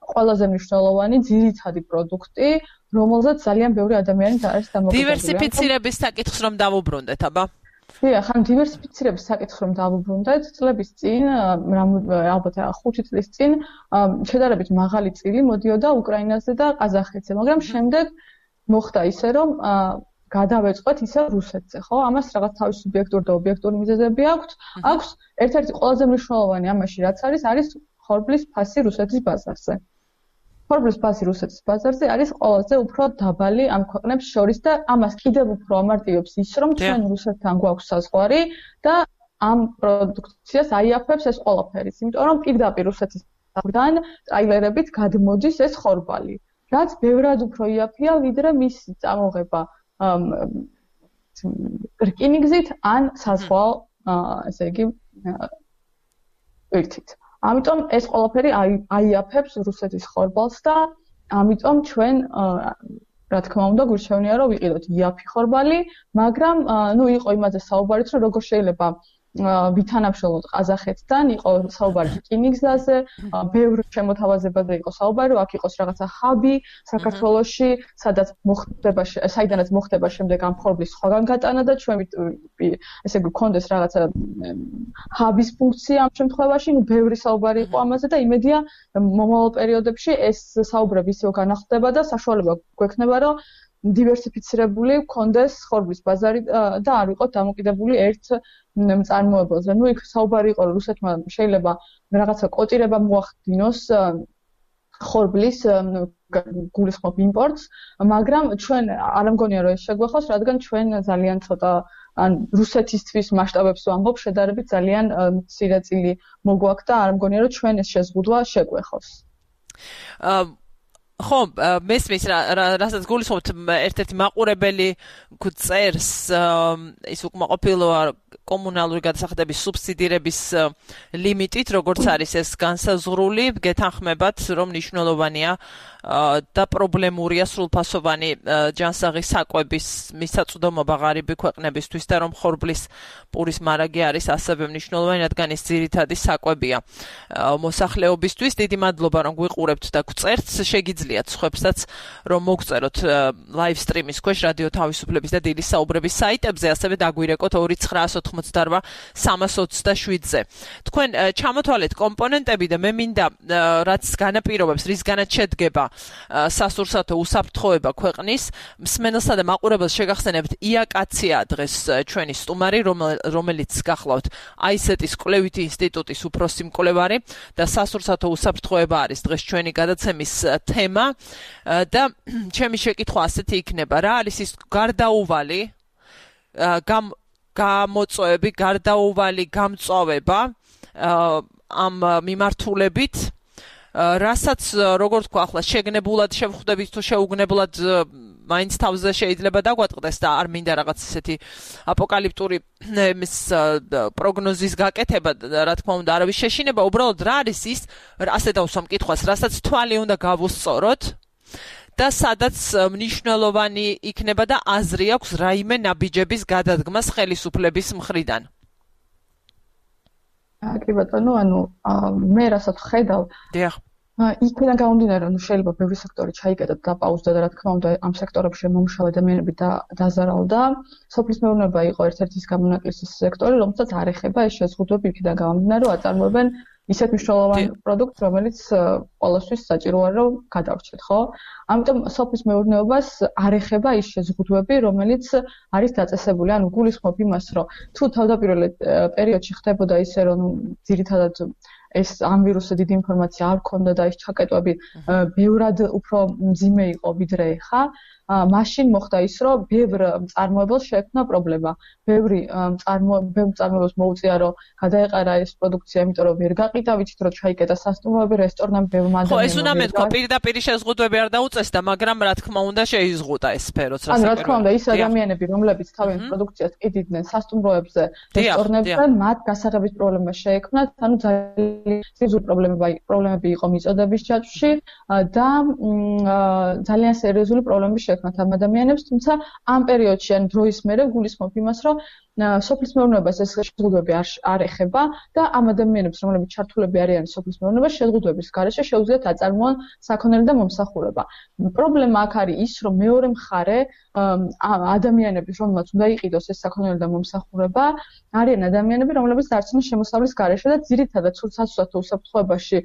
ყველაზე მნიშვნელოვანი ძირითადი პროდუქტი, რომელზეც ძალიან ბევრი ადამიანი არის დამოკიდებული. დივერსიფიცირების საკითხს რომ დავუბრუნდეთ, აბა? დიახ, ხან დივერსიფიცირების საკითხს რომ დავუბრუნდეთ, წლების წინ, ალბათ 5 წლის წინ, შედარებით მაღალი წილი მოდიოდა უკრაინაზე და ყაზახეთზე, მაგრამ შემდეგ მოხდა ისე, რომ გადავეწყვეთ ისე რუსეთზე, ხო? ამას რაღაც თავის სუბიექტური და ობიექტური მიზეზები აქვს. აქვს ერთ-ერთი ყველაზე მნიშვნელოვანი ამაში რაც არის ხორბლის ფასი რუსეთის ბაზარზე. ხორბლის ფასი რუსეთის ბაზარზე არის ყველაზე უფრო დაბალი ამ ქვეყნებს შორის და ამას კიდევ უფრო ამარტივებს ის, რომ ჩვენ რუსეთთან გვაქვს საზღვარი და ამ პროდუქციას აიაფებს ეს ყველაფერი, იმიტომ რომ პირდაპირ რუსეთის საზღვრიდან ტრაილერებით გადმოდის ეს ხორბალი. რაც ბევრად უფრო იაფია, ვიდრე მისი წამოღება რკინიგზით ან საზღვაო, ესე იგი, ერთით. ამიტომ ეს ყველაფერი აიაფებს რუსეთის ხორბალს და ამიტომ ჩვენ რა თქმა უნდა გვირჩევნია რომ ვიყიდოთ იაფი ხორბალი, მაგრამ იყო იმაზე საუბარიც რომ როგორ შეიძლება ვითანამშრომლოთ ყაზახეთთან, იყო საუბარი რკინიგზაზე, ბევრ შემოთავაზებაზე იყო საუბარი, რომ აქ იყოს რაღაცა ჰაბი საქართველოში, საიდანაც მოხდება შემდეგ ამ ხორბლის სხვაგან გატანა და ჩვენ ესე გვქონდეს რაღაცა ჰაბის ფუნქცია ამ შემთხვევაში, ბევრი საუბარი იყო ამაზე და იმედია მომავალ პერიოდებში ეს საუბრები ისევ განახლდება და საშუალება გვექნება, რომ დივერსიფიცირებული გქონდეს ხორბლის ბაზარი და არ ვიყოთ დამოკიდებული ერთ მწარმოებელზე. იქ საუბარი იყო, რომ რუსეთმა შეიძლება რაღაცა კოტირება მოახდინოს ხორბლის გულისხმობ იმპორტს, მაგრამ ჩვენ არ მგონია, რომ ეს შეგვეხოს, რადგან ჩვენ ძალიან ცოტა ან რუსეთისთვის მასშტაბებს ვამბობ, შედარებით ძალიან მცირე წილი მოგვაქვს და არ მგონია, რომ ჩვენ ეს შეზღუდვა შეგვეხოს. ხო, მესმის რასაც გულისხმობთ ერთ-ერთი მაყურებელი წერს ის უკმაყოფილოა კომუნალური გადასახადების სუბსიდირების ლიმიტით, როგორც არის ეს განსაზღვრული, გეთანხმებათ, რომ მნიშვნელოვანია და პრობლემურია სრულფასოვანი ჯანსაღი საკვების მისაწვდომობა ღარიბი ქვეყნებისთვის და რომ ხორბლის პურის მარაგი არის ასევე მნიშვნელოვანი, რადგან ეს ძირითადი საკვებია მოსახლეობისთვის. დიდი მადლობა, რომ გვიყურებთ და გვწერთ. შეგიძლიათ სხვებსაც რომ მოგწეროთ live stream-ის ქვეშ რადიო თავისუფლების და დილის საუბრების საიტებზე, ასევე დაგვირეკოთ 298-327-ზე. თქვენ ჩამოთვალეთ კომპონენტები და მე მინდა რაც განაპირობებს, რისგანაც შედგება სასურსათო უსაფრთხოება ქვეყნის მსმენელსა და მაყურებელს შეგახსენებთ იაკაცია დღეს ჩვენი სტუმარი, რომელიც გახლავთ აისეტის კვლევითი ინსტიტუტის უფროსი მკვლევარი და სასურსათო უსაფრთხოება არის დღეს ჩვენი გადაცემის თემა და ჩემი შეკითხვა ასეთი იქნება, რა არის ის გარდაუვალი გამოწვევები, გარდაუვალი გამწვავება ამ მიმართულებით, რასაც როგორ თქვა ახლა შეგნებულად შევხვდებით თუ შეუგნებლად მაინც თავზე შეიძლება დაგვატყდეს და არ მინდა რაღაც ესეთი აპოკალიფტური პროგნოზის გაკეთება, რა თქმა უნდა, არავის შეშინება, უბრალოდ რა არის ის, ასე დავსვამ კითხვას, რასაც თვალი უნდა გავუსწოროთ და სადაც მნიშვნელოვანი იქნება და აზრი აქვს რაიმე ნაბიჯების გადადგმას ხელისუფლების მხრიდან. კი ბატონო, მე რასაც ხედავ, დიახ. იქიდან გამომდინარე, რომ შეიძლება ბევრი სექტორი ჩაიკეტა და პაუზდა და რა თქმა უნდა ამ სექტორებში მომუშავე ადამიანები დაზარალდა. სოფლის მეურნეობა იყო ერთ-ერთი გამონაკლისის სექტორი, რომელსაც არ ეხება ეს შეზღუდვები იქიდან გამომდინარე, რომ აწარმოებენ ისეთ მნიშვნელოვან პროდუქტს, რომელიც ყველასთვის საჭიროა, რომ გადავრჩეთ, ხო? ამიტომ სოფლის მეურნეობას არ ეხება ის შეზღუდვები, რომელიც არის დაწესებული. ანუ გულისხმობ იმას, რომ თუ თავდაპირველ პერიოდში ხდებოდა ისე, რომ ძირითადად ეს ამ ვირუსზე დიდი ინფორმაცია არ ქონდა და ეს ჩაკეტვები ბევრად უფრო მძიმე იყო ვიდრე ეხა, მაშინ მოხდა ის, რომ ბევრ მწარმოებელს შეექმნა პრობლემა. ბევრი მწარმოებელს მოუწია, რომ გადაეყარა ეს პროდუქცია, იმიტომ რომ ვერ გაყიდა, ვიცით რომ ჩაიკეტა სასტუმროები, რესტორნები, ბევრ ადამიანს. ხო, ეს უნდა მეთქვა, პირდაპირ შეზღუდვები არ დაუწესდა, მაგრამ რა თქმა უნდა შეიზღუდა ეს სფეროც, რა თქმა უნდა, ის ადამიანები, რომლებიც თავიანთ პროდუქციას ყიდიდნენ სასტუმროებზე, რესტორნებზე, მათ გასაღების პრობლემა შეექმნათ, ანუ სერიოზული პრობლემები იყო მიწოდების ჯაჭვში და ძალიან სერიოზული პრობლემები შეექმნათ ამ ადამიანებს, თუმცა ამ პერიოდში ან დროის მერე გულისხმობ იმას, რომ სოფლის მეურნეობას ეს შეზღუდვები არ ეხება და ამ ადამიანებს, რომლებიც ჩართულები არიან სოფლის მეურნეობაში, შეზღუდვების გარეშე შეუძლიათ აწარმოონ საქონელი და მომსახურება. პრობლემა აქ არის ის, რომ მეორე მხარე ადამიანების, რომელმაც უნდა იყიდოს ეს საქონელი და მომსახურება, არიან ადამიანები, რომლებიც დარჩნენ შემოსავლის გარეშე და ძირითადად საცურსათო უსაფრთხოებაში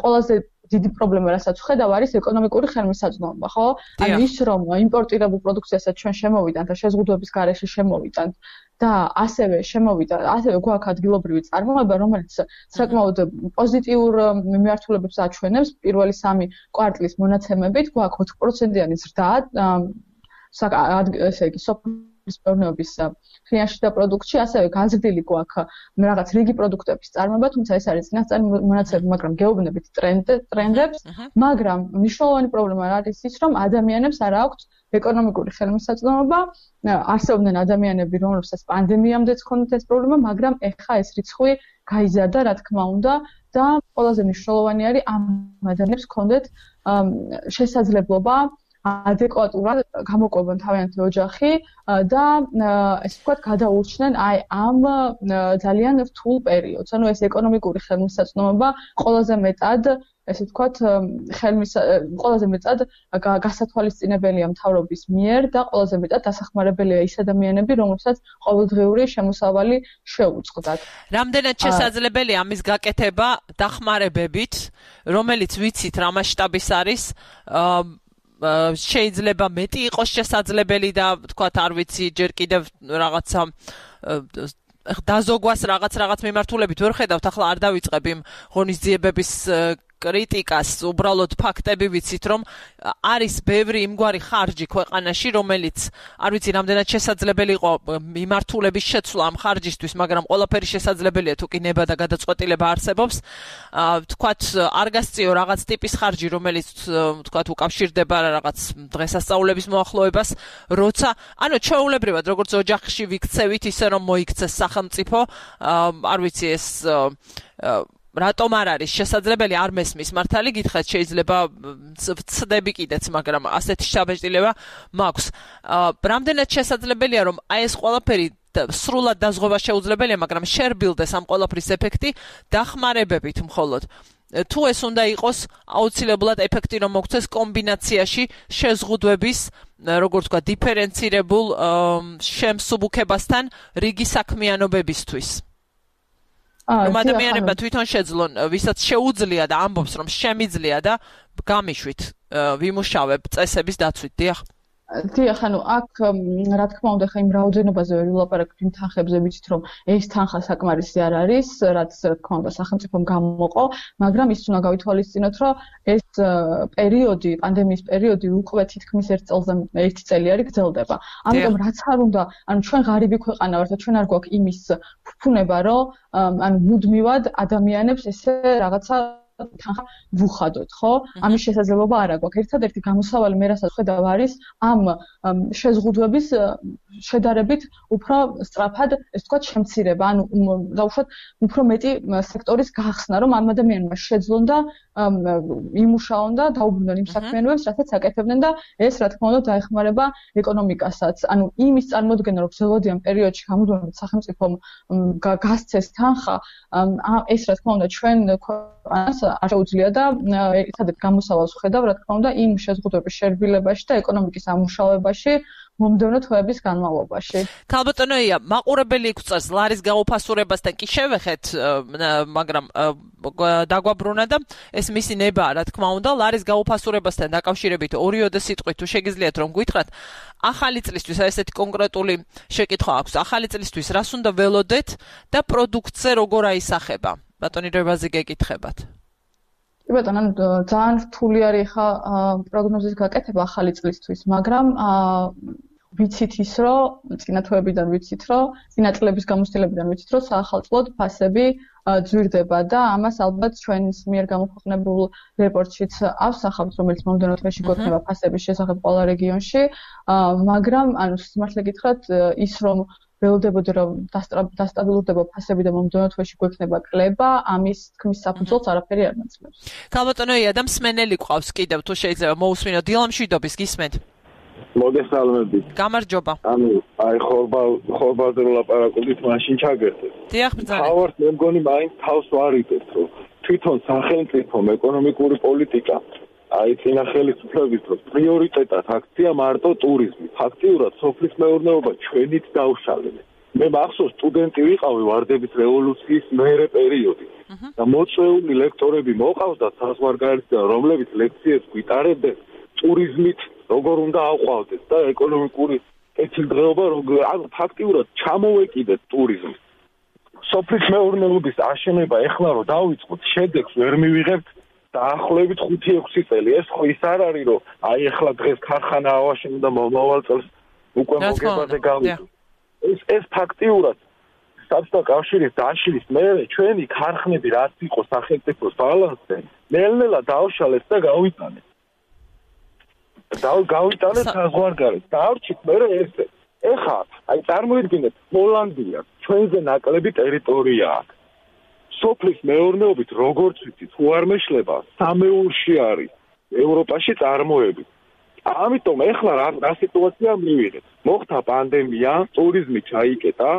ყველაზე დიდი პრობლემა, რასაც ვხედავ, არის ეკონომიკური ხელმისაწვდომობა, ხო? ანუ ის, რომ იმპორტირებულ პროდუქციასაც ჩვენ შემოვიდანთ და შეზღუდვების გარეშე შემოვიდანთ და ასევე გვაქვს ადგილობრივი წარმოება, რომელიც საკმაოდ პოზიტიურ მიმართულებებს აჩვენებს. პირველი 3 კვარტლის მონაცემებით გვაქვს 4%-იანი ზრდა, ესე იგი, სოფლის მეურნეობის ფინანსში და პროდუქტში, ასევე განზრდილი გვაქვს რაღაც რიგი პროდუქტების წარმოება, თუმცა ეს არის წინასწარი მონაცემები, მაგრამ გეუბნებით ტრენდებს, მაგრამ მნიშვნელოვანი პრობლემა არის ის, რომ ადამიანებს არ აქვთ ეკონომიკური ხელმისაწვდომობა, არსებობდნენ ადამიანები, რომლებსაც პანდემიამდეც ჰქონდათ ეს პრობლემა, მაგრამ ეხა ეს რიცხვი გაიზარდა, რა თქმა უნდა, და ყველაზე მნიშვნელოვანი არის ამ ადამიანებს ჰქონდეთ შესაძლებლობა ადეკვატურად გამოყვებონ თავიანთი ოჯახი და ესე ვთქვათ, გადაურჩნენ აი ამ ძალიან რთულ პერიოდს. ანუ ეს ეკონომიკური ხელმისაწვდომობა ყველაზე მეტად, ესე ვთქვათ, ყველაზე მეტად გასათვალისწინებელია მთავრობის მიერ და ყველაზე მეტად დასახმარებელია ის ადამიანები, რომლებსაც ყოველდღიური შემოსავალი შეუწყდათ. რამდენად შესაძლებელია ამის გაკეთება დახმარებებით, რომელიც ვიცით რა მასშტაბის არის, შეიძლება მეტი იყოს შესაძლებელი და თქვათ არ ვიცი ჯერ კიდევ რაღაცა დაზოგვას რაღაც მიმართულებით ვერ ხედავთ, ახლა არ დავიწყებ იმ ღონისძიებების კრიტიკას, უბრალოდ ფაქტები ვიცით, რომ არის ბევრი იმგვარი ხარჯი ქვეყანაში, რომელიც არ ვიცი რამდენად შესაძლებელი იყო მიმართულების შეცვლა ამ ხარჯისთვის, მაგრამ ყველაფერი შესაძლებელია თუ კი ნება და გადაწყვეტილება არსებობს. თქვათ არ გასწიო რაღაც ტიპის ხარჯი, რომელიც თქვათ უკავშირდება რაღაც დღესასწაულების მოახლოებას, როცა ანუ ჩვეულებრივად როგორც ოჯახში ვიქცევით, ისე რომ მოიქცეს სახელმწიფო, არ ვიცი ეს რატომ არ არის შესაძლებელი, არ მესმის მართალი გითხრათ, შეიძლება ვცდები კიდეც, მაგრამ ასეთი შთაბეჭდილება მაქვს. რამდენად შესაძლებელია, რომ აი ეს ყველაფერი სრულად დაზღვევა შეუძლებელია, მაგრამ შერბილდეს ამ ყველაფრის ეფექტი დახმარებებით მხოლოდ. თუ ეს უნდა იყოს აუცილებლად ეფექტი რომ მოგცეს კომბინაციაში შეზღუდვების, როგორც ვთქვა, დიფერენცირებულ შემსუბუქებასთან რიგი საქმიანობებისთვის. რომ ადამიანებმა თვითონ შეძლონ, ვისაც შეუძლია და ამბობს, რომ შემიძლია და გამიშვით ვიმუშავებ წესების დაცვით, დიახ. დიახ, ანუ აქ რა თქმა უნდა, ხა იმ რაოდენობაზე ვერ ვილაპარაკებ იმ თანხებზე, ვიცით რომ ეს თანხა საკმარისი არ არის, რაც რა თქმა უნდა სახელმწიფომ გამოყო, მაგრამ ის უნდა გავითვალისწინოთ, რომ ეს პერიოდი, პანდემიის პერიოდი უკვე თითქმის 1 წელი არის გრძელდება. ამიტომ რაც არ უნდა, ანუ ჩვენ ღარიბი ქვეყანა ვართ და ჩვენ არ გვაქვს იმის ფუფუნება, რომ ანუ მუდმივად ადამიანებს ესე რაღაცა თანხა ვუხადოთ, ხო? ამის შესაძლებლობა არ აქვს. ერთადერთი გამოსავალი მე რასაც ხედავ არის ამ შეზღუდვების შედარებით უფრო სწრაფად, ესე ვთქვათ, შემცირება, ანუ დაუშვათ უფრო მეტი სექტორის გახსნა, რომ ამ ადამიანმა შეძლონ და იმუშაონ და დაუბრუნდნენ იმ საქმიანობებს, რასაც აკეთებდნენ და ეს რა თქმა უნდა დაეხმარება ეკონომიკასაც. ანუ იმის წარმოდგენა, რომ ზოგადიან პერიოდში გამუდმებით სახელმწიფომ გასცეს თანხა, ეს რა თქმა უნდა ჩვენ ქვეყანას არ შეუძლია და ერთადერთ გამოსავალს ვხედავ, რა თქმა უნდა, იმ შეზღუდვების შერბილებაში და ეკონომიკის ამუშავებაში მომდევნო თვეების განმავლობაში. ქალბატონო ია, მაყურებელი გვწევს ლარის გაუფასურებასთან კი შევეხეთ, მაგრამ დაგვაბრუნა და ეს მისი ნებაა, რა თქმა უნდა, ლარის გაუფასურებასთან დაკავშირებით ორიოდე სიტყვით თუ შეგიძლიათ რომ გითხრათ, ახალი წლისთვის ესეთი კონკრეტული შეკითხვა აქვს. ახალი წლისთვის რას უნდა ველოდეთ და პროდუქტზე როგორ აისახება? ბატონი რევაზი გეკითხებათ. კი ბატონო, ძალიან რთული არის ხა პროგნოზის გაკეთება ახალი წლისთვის, მაგრამ ვიცით ის, რომ წინა თვეებიდან ვიცით, რომ წინა წლების გამოცდილებიდან ვიცით, რომ საახალწლოდ ფასები ძვირდება და ამას ალბათ ჩვენს მიერ გამოქვეყნებულ რეპორტშიც ავსახავთ, რომელიც მომდევნო თვეში გვექნება ფასების შესახებ ყველა რეგიონში, მაგრამ ანუ სიმართლე გითხრათ, ის რომ ველოდებოდა რომ დასტაბილურდება ფასები და მომდევნო თვეში გვექნება კლება, ამის თქმის საფუძველს არაფერი არ მაძლევს. ქალბატონო ია, და მსმენელი გვყავს კიდევ თუ შეიძლება მოусმინოთ დილამ შვიდობის გისმენთ. მოგესალმებით. გამარჯობა. ანუ აი ხორბალზე ვლაპარაკობთ, მაშინ ჩაგერთეთ. დიახ, ბრძანე. თავართ მე მგონი მაინც თავს ვარიდეთ, რომ თვითონ სახელმწიფომ ეკონომიკური პოლიტიკა აი წინა ხელისუფლების დროს პრიორიტეტად აქცია მარტო ტურიზმი. ფაქტიურად სოფლის მეურნეობა ჩვენით დაუშალეთ. მე მახსოვს სტუდენტი ვიყავი ვარდების რევოლუციის მერე პერიოდი. და მოწვეული ლექტორები მოყავდათ საზღვარგარეთიდან, რომლებიც ლექციებს გვიტარებდნენ ტურიზმით როგორ უნდა აყვავდეთ და ეკონომიკური კეთილდღეობა ანუ ფაქტიურად ჩამოვეკიდეთ ტურიზმს. სოფლის მეურნეობის აშენება ეხლა რომ დავიწყოთ, შედეგს ვერ მივიღებთ დაახლოებით 5-6 წელი. ეს ხო ის არ არის, რომ აი ეხლა დღეს ქარხანა ავაშენო და მომავალ წელს უკვე მოგებაზე გავიდო. ეს ფაქტიურად საბჭოთა კავშირის დაშლის მერე ჩვენი ქარხნები რაც იყო სახელმწიფოს ბალანსზე, ნელ-ნელა დაუშალეთ და გავიტანეთ. გავიტანეთ საზღვარგარეთ. დავრჩით მერე ესე. ეხლა აი წარმოიდგინეთ, ჰოლანდია ჩვენზე ნაკლები ტერიტორია აქვს. სოფლის მეურნეობით როგორც ვიცით, თუ არ მეშლება, სამეულში არის ევროპაში წარმოები. ამიტომ ეხლა რა სიტუაცია მივიღეთ? მოხდა პანდემია, ტურიზმი ჩაიკეტა,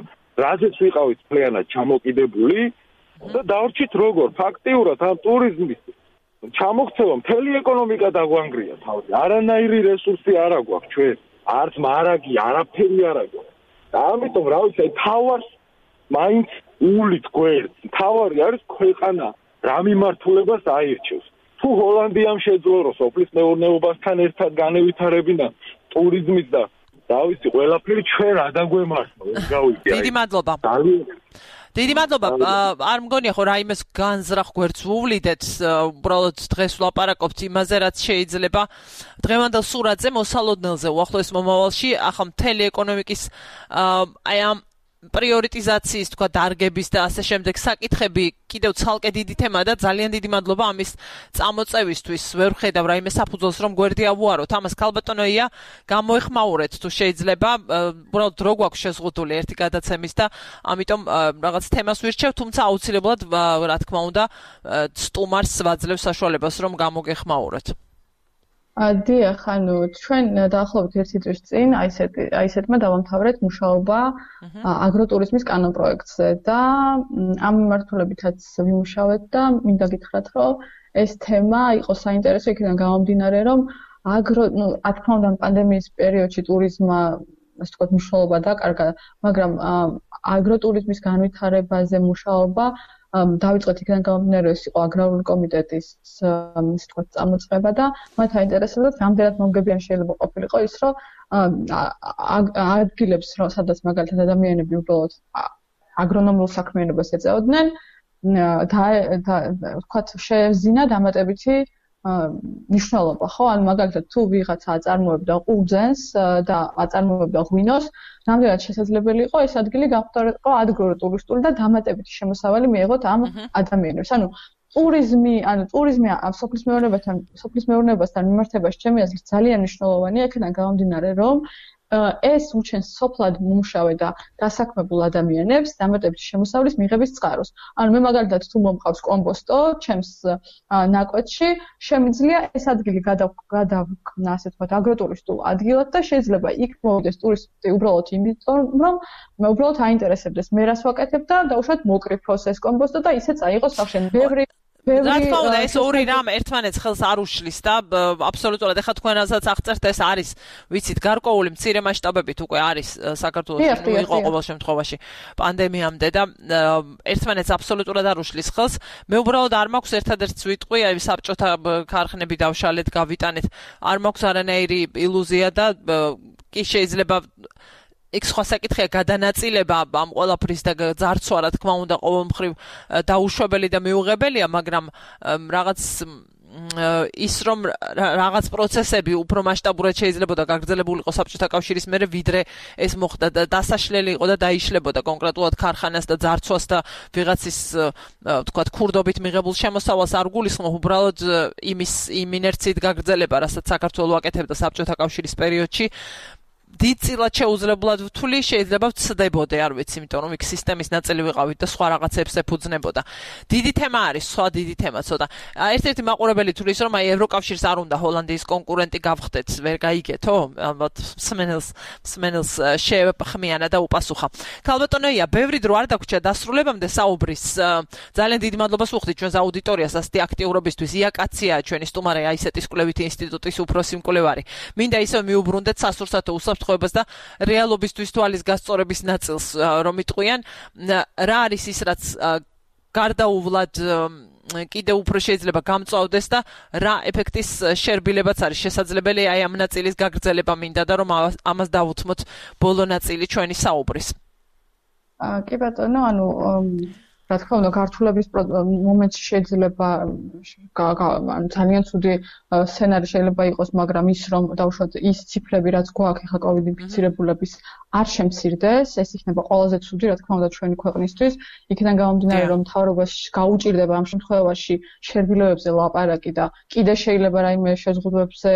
რაზეც ვიყავით მთლიანად ჩამოკიდებული და დავრჩით როგორ ფაქტიურად ამ ტურიზმის ჩამოქცევა მთელი ეკონომიკა დაგვანგრია თავზე. არანაირი რესურსი არ აქვს ჩვენ, არც მარაგი, არაფერი არ აქვს. და ამიტომ რა ვიცი, თავარს მაინც ულით გვერდს. თავარი არის ქვეყანა რა მიმართულებას აირჩევს. თუ ჰოლანდიამ შეძლო რომ სოფლის მეურნეობასთან ერთად განევითარებინან ტურიზმის და დავიცი ყველაფერი ჩვენ რა დაგვემართო, ეს გავიგე. დიდი მადლობა. დიდი მადლობა. არ მგონია ხო რაიმეს განზრახ გვერდს ვუვლიდეთ, უბრალოდ დღეს ვლაპარაკობთ იმაზე, რაც შეიძლება დღევანდელ სურათზე მოსალოდნელზე უახლოეს მომავალში, ახლა მთელი ეკონომიკის აი ამ პრიორიტიზაციის თქვა დარგების და ასე შემდეგ საკითხები კიდევ ცალკე დიდი თემაა და ძალიან დიდი მადლობა ამის წამოწევისთვის. ვერ ვხედავ რაიმე საფუძველს რომ გვერდი ავუაროთ. ამას ქალბატონოია გამოეხმაურეთ თუ შეიძლება. უბრალოდ რო გვაქვს შეზღუდული ერთი გადაცემის და ამიტომ რაღაც თემას ვირჩევ, თუმცა აუცილებლად რა თქმა უნდა სტუმარს ვაძლევ საშუალებას რომ გამოგეხმაუროთ. დიახ, ანუ ჩვენ დაახლოებით 1 წლის წინ აისეთმა დავამთავრეთ მუშაობა აგროტურიზმის კანონპროექტზე და ამ მიმართულებითაც ვიმუშავეთ და მინდა გითხრათ, რომ ეს თემა იყო საინტერესო იქიდან გამომდინარე, რომ რა თქმა უნდა პანდემიის პერიოდში ტურიზმმა ასე ვთქვათ მნიშვნელობა დაკარგა, მაგრამ აგროტურიზმის განვითარებაზე მუშაობა დავიწყეთ იქიდან გამომდინარე, ეს იყო აგრარული კომიტეტის ასე ვთქვათ წამოწყება და მათ აინტერესებდათ რამდენად მომგებიანი შეიძლება ყოფილიყო ის, რომ ადგილებს, სადაც მაგალითად ადამიანები უბრალოდ აგრონომიულ საქმიანობას ეწეოდნენ და ვთქვათ შეევზინა დამატებითი მნიშვნელობა, ხო? ანუ მაგალითად თუ ვიღაცა აწარმოებდა ყურძენს და აწარმოებდა ღვინოს, რამდენად შესაძლებელი იყო ეს ადგილი გამხდარიყო ადგილობრივი და დამატებითი შემოსავალი მიეღოთ ამ ადამიანებს. ანუ ტურიზმი სოფლის მეურნეობასთან მიმართებაში ჩემი აზრით ძალიან მნიშვნელოვანია, იქიდან გამომდინარე, რომ ეს უჩენს სოფლად მომუშავე და დასაქმებულ ადამიანებს დამატებითი შემოსავლის მიღების წყაროს. ანუ მე მაგალითად თუ მომყავს კომპოსტო ჩემს ნაკვეთში, შემიძლია ეს ადგილი გადავქნა, ასე ვთქვათ, აგროტურისტულ ადგილად და შეიძლება იქ მოვიდეს ტურისტი უბრალოდ იმიტომ, რომ მე უბრალოდ აინტერესებდეს მე რას ვაკეთებ და დაუშვათ მოკრიფოს ეს კომპოსტო და ისე წაიღოს სახშენ. რა თქმა უნდა, ეს ორი რამ ერთმანეთს ხელს არ უშლის და აბსოლუტურად ეხლა თქვენ რასაც აღწერთ, ეს არის, ვიცით, გარკვეული მცირე მასშტაბებით უკვე არის საქართველოში, ნუ იყო ყოველ შემთხვევაში პანდემიამდე და ერთმანეთს აბსოლუტურად არ უშლის ხელს. მე უბრალოდ არ მაქვს ერთადერთს ვიტყვი, აი საბჭოთა ქარხნები დავშალეთ, გავიტანეთ, არ მაქვს არანაირი ილუზია და კი შეიძლება იქ სხვა საკითხია გადანაწილება ამ ყველაფრის და ძარცვა, რა თქმა უნდა, ყოველ მხრივ დაუშვებელი და მიუღებელია, მაგრამ რაღაც ის რომ რაღაც პროცესები უფრო მასშტაბურად შეიძლებოდა გაგრძელებულიყო საბჭოთა კავშირის მერე, ვიდრე ეს მოხდა და დასაშლელი იყო და დაიშლებოდა კონკრეტულად ქარხანას და ძარცვას და ვიღაცის თქვათ ქურდობით მიღებულ შემოსავალს არ გულისხმობ, უბრალოდ იმ ინერციით გაგრძელება, რასაც საქართველო აკეთებდა საბჭოთა კავშირის პერიოდში. დიდწილად შეუძლებლად ვთვლი, შეიძლება ვცდებოდე, არ ვიცი, იმიტომ რომ იქ სისტემის ნაწილი ვიყავით და სხვა რაღაცებს ეფუძნებოდა. დიდი თემა არის, სხვა დიდი თემა ცოტა. ერთ-ერთი მაყურებელი თulis რომ აი ევროკავშირს არ უნდა ჰოლანდიის კონკურენტი გავხდეთ, ვერ გაიგეთო? ალბათ მსმენელს შეეხმიანა და უპასუხა. ქალბატონია, ბევრი დრო არ დაგვრჩა დასრულებამდე საუბრის. ძალიან დიდი მადლობას ვუხდით ჩვენს აუდიტორიას ასეთი აქტიურობისთვის. იაკაცია ჩვენი სტუმარი აისეტის კვლევითი ინსტიტუტის უფროსი მკვლევარი. მინდა ისევ მიუბრუნდეთ სასურსათო უსაფრთხოებას და რეალობისთვის თვალის გასწორების ნაწილს რომ იტყვიან, რა არის ის, რაც გარდაუვლად კიდევ უფრო შეიძლება გამწვავდეს და რა ეფექტის შერბილებაც არის შესაძლებელი აი ამ ნაწილის გაგრძელება მინდა და რომ ამას დავუთმოთ ბოლო ნაწილი ჩვენი საუბრის. კი ბატონო, ანუ რა თქმა უნდა, გართულების მომენტში შეიძლება ძალიან ცუდი სცენარი შეიძლება იყოს, მაგრამ ის რომ დავუშვათ ის ციფრები, რაც გვაქვს ახლა COVID ინფიცირებულების არ შემცირდეს, ეს იქნება ყველაზე ცუდი, რა თქმა უნდა, ჩვენი ქვეყნისთვის. იქიდან გამომდინარე, რომ მთავრობას გაუჭირდება ამ შემთხვევაში შერბილობებზე ლაპარაკი და კიდე შეიძლება რაიმე შეზღუდვებზე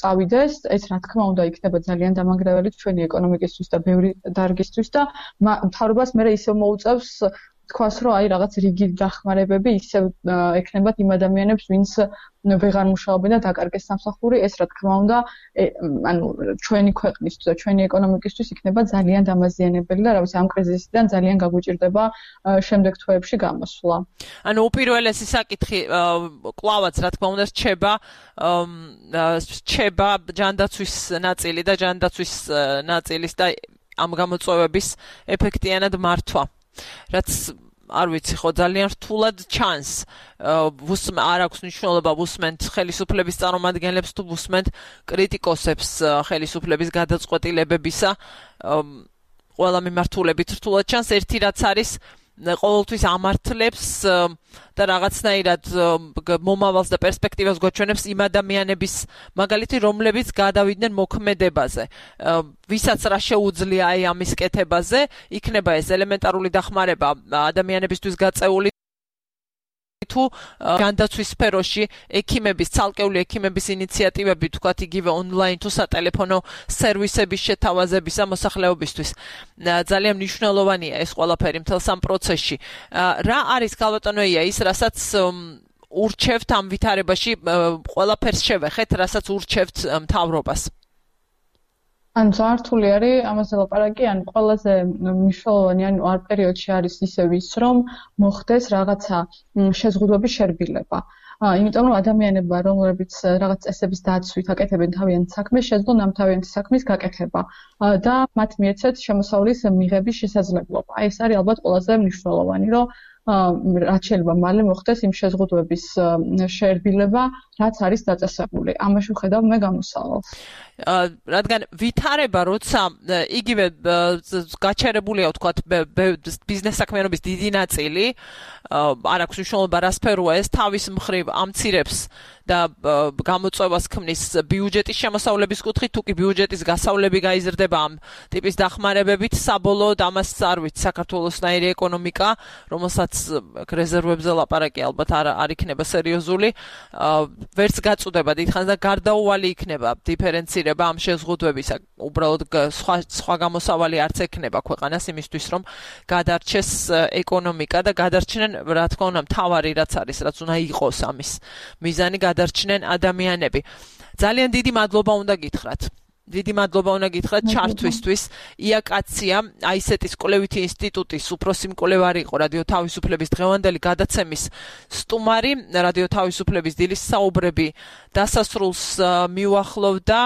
წავიდეს, ეს რა თქმა უნდა იქნება ძალიან დამანგრეველი ჩვენი ეკონომიკისთვის და ბევრი დარგისთვის და მთავრობას მე ისევ მოუწევს თქვას, რომ აი რაღაც რიგი დახმარებები ისევ ექნებათ იმ ადამიანებს, ვინც ვეღარ მუშაობენ და დაკარგეს სამსახური, ეს რა თქმა უნდა, ანუ ჩვენი ქვეყნისთვის და ჩვენი ეკონომიკისთვის იქნება ძალიან დამაზიანებელი და რა ვიცი, ამ კრიზისიდან ძალიან გაგვიჭირდება შემდეგ თვეებში გამოსვლა. ანუ უპირველესი საკითხი კლავაც რა თქმა უნდა რჩება ჯანდაცვის ნაწილი და ჯანდაცვის ნაწილის და ამ გამოწვევების ეფექტიანად მართვა. რაც არ ვიცი ხო ძალიან რთულად ჩანს. არ აქვს მნიშვნელობა ვუსმენთ ხელისუფლების წარმომადგენლებს თუ ვუსმენთ კრიტიკოსებს ხელისუფლების გადაწყვეტილებებისა. ყველა მიმართულებით რთულად ჩანს. ერთი რაც არის ყოველთვის ამართლებს და რაღაცნაირად მომავალს და პერსპექტივას გვაჩვენებს იმ ადამიანების მაგალითი, რომლებიც გადავიდნენ მოქმედებაზე. ვისაც რა შეუძლია აი ამის კეთებაზე, იქნება ეს ელემენტარული დახმარება ადამიანებისთვის გაწეული თუ ჯანდაცვის სფეროში ექიმების, ცალკეული ექიმების ინიციატივები, თქვათ იგივე ონლაინ თუ სატელეფონო სერვისების შეთავაზებისა მოსახლეობისთვის. ძალიან მნიშვნელოვანია ეს ყველაფერი მთელს ამ პროცესში. რა არის ქალბატონია ის, რასაც ურჩევთ ამ ვითარებაში, ყველაფერს შევეხეთ, რასაც ურჩევთ მთავრობას? ან ზართული არის ამაზე ლაპარაკი, ან ყველაზე მნიშვნელოვანი ან არ პერიოდში არის ისევ ის, რომ მოხდეს რაღაცა შეზღუდვების შერბილება. იმიტომ რომ ადამიანებმა, რომლებიც რაღაც წესების დაცვით აკეთებენ თავიანთ საქმეს, შეძლონ ამ თავიანთი საქმის გაკეთება და მათ მიეცეთ შემოსავლის მიღების შესაძლებლობა. ეს არის ალბათ ყველაზე მნიშვნელოვანი, რომ რაც შეიძლება მალე მოხდეს იმ შეზღუდვების შერბილება, რაც არის დაწესებული. ამაში ვხედავ მე გამოსავალს. რადგან ვითარება, როცა იგივე გაჩერებულია, ვთქვათ, ბიზნეს საქმიანობის დიდი ნაწილი, არ აქვს მნიშვნელობა რა სფეროა ეს, თავის მხრივ ამცირებს და გამოწვევას ქმნის ბიუჯეტის შემოსავლების კუთხით, თუ კი ბიუჯეტის გასავლები გაიზრდება ამ ტიპის დახმარებებით, საბოლოოდ ამას არ ვიცი საქართველოსნაირი ეკონომიკა, რომელსაც რეზერვებზე ლაპარაკი ალბათ არ იქნება სერიოზული, ვერც გაწუდება დიდხანს და გარდაუვალი იქნება დიფერენცირება ამ შეზღუდვებისა. უბრალოდ სხვა გამოსავალი არც ექნება ქვეყანას იმისთვის, რომ გადარჩეს ეკონომიკა და გადარჩნენ, რა თქმა უნდა, მთავარი რაც არის, რაც უნდა იყოს ამის მიზანი, გადარჩნენ ადამიანები. ძალიან დიდი მადლობა უნდა გითხრათ. დიდი მადლობა უნდა გითხრათ ჩართვისთვის. იაკაცია აისეტის კვლევითი ინსტიტუტის უფროსი მკვლევარი იყო რადიო თავისუფლების დღევანდელი გადაცემის სტუმარი. რადიო თავისუფლების დილის საუბრები დასასრულს მიუახლოვდა.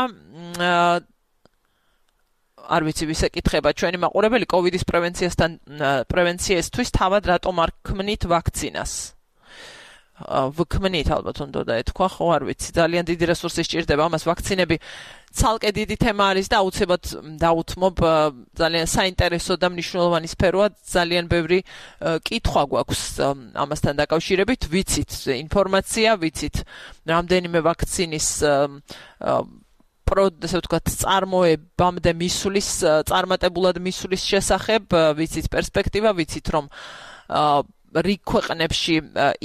არ ვიცი ვის ეკითხება ჩვენი მაყურებელი კოვიდის პრევენციისთვის თავად რატომ არ ქმნით ვაქცინას. ვქმნით ალბათ უნდა ეთქვა, ხო არ ვიცი, ძალიან დიდი რესურსი სჭირდება ამას. ვაქცინები ცალკე დიდი თემა არის და აუცილებლად დაუთმობ, ძალიან საინტერესო და მნიშვნელოვანი სფეროა, ძალიან ბევრი კითხვა გვაქვს ამასთან დაკავშირებით, ვიცით ინფორმაცია, ვიცით რამდენიმე ვაქცინის ესე ვთქვათ, წარმოებამდე მისulis, წარმატებულად მისulis შესახებ, ვიცით პერსპექტივა, ვიცით რომ რიგ ქვეყნებში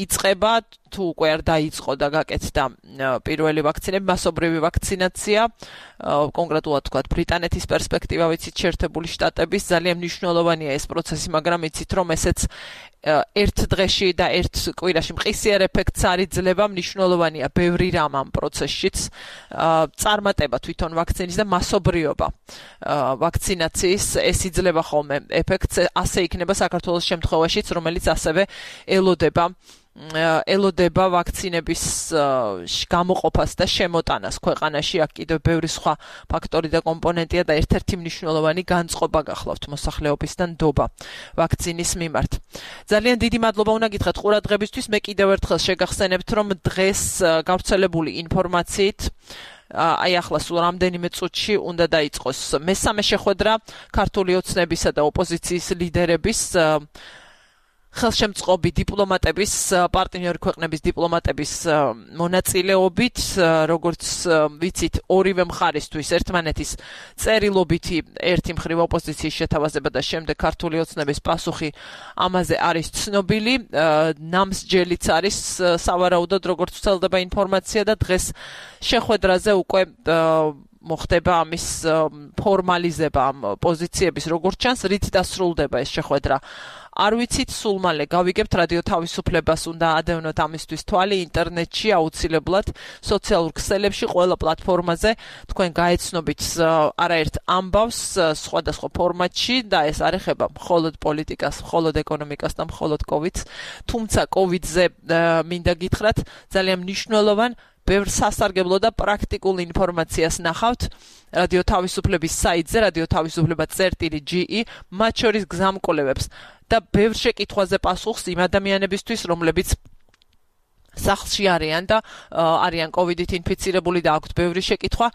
იწყება, თუ უკვე არ დაიწყო და გაკეთდა პირველი ვაქცინები, მასობრივი ვაქცინაცია, კონკრეტულად ვთქვათ, ბრიტანეთის პერსპექტივა, ვიცით, შეერთებული შტატების, ძალიან მნიშვნელოვანია ეს პროცესი, მაგრამ ვიცით რომ ესეც ერთ დღეში და ერთ კვირაში მყისიერ ეფექტს არ იძლევა, მნიშვნელოვანია ბევრი რამ ამ პროცესშიც, წარმატება თვითონ ვაქცინის და მასობრიობა ვაქცინაციის, ეს იძლევა ხოლმე ეფექტს, ასე იქნება საქართველოს შემთხვევაშიც, რომელიც ასევე ელოდება ვაქცინების გამოყოფას და შემოტანას ქვეყანაში. აქ კიდევ ბევრი სხვა ფაქტორი და კომპონენტია და ერთ-ერთი მნიშვნელოვანი განწყობა გახლავთ მოსახლეობის და ნდობა ვაქცინის მიმართ. ძალიან დიდი მადლობა უნდა გითხრათ ყურადღებისთვის. მე კიდევ ერთხელ შეგახსენებთ, რომ დღეს გავრცელებული ინფორმაციით აი ახლა სულ რამდენიმე წუთში უნდა დაიწყოს მესამე შეხვედრა ქართული ოცნებისა და ოპოზიციის ლიდერების ხელშემწყობი დიპლომატების, პარტნიორი ქვეყნების დიპლომატების მონაწილეობით, როგორც ვიცით, ორივე მხარისთვის ერთმანეთის წერილობითი ერთი მხრივ ოპოზიციის შეთავაზება და შემდეგ ქართული ოცნების პასუხი ამაზე არის ცნობილი, ნამსჯელიც არის სავარაუდოდ, როგორც ვრცელდება ინფორმაცია და დღეს შეხვედრაზე უკვე მოხდება ამის ფორმალიზება ამ პოზიციების, როგორც ჩანს, რით დასრულდება ეს შეხვედრა. არ ვიცით, სულ მალე გავიგებთ, რადიო თავისუფლებას უნდა ადევნოთ ამისთვის თვალი ინტერნეტში, აუცილებლად სოციალურ ქსელებში, ყველა პლატფორმაზე თქვენ გაეცნობით არაერთ ამბავს სხვადასხვა ფორმატში და ეს არ ეხება მხოლოდ პოლიტიკას, მხოლოდ ეკონომიკას და მხოლოდ კოვიდს, თუმცა კოვიდზე მინდა გითხრათ, ძალიან მნიშვნელოვან ბევრ სასარგებლო და პრაქტიკულ ინფორმაციას ნახავთ რადიო თავისუფლების საიტზე, რადიო თავისუფლება.ge, მათ შორის გზამკვლევებს და ბევრ შეკითხვაზე პასუხს იმ ადამიანებისთვის, რომლებიც სახლში არიან და არიან კოვიდით ინფიცირებული და აქვთ ბევრი შეკითხვა.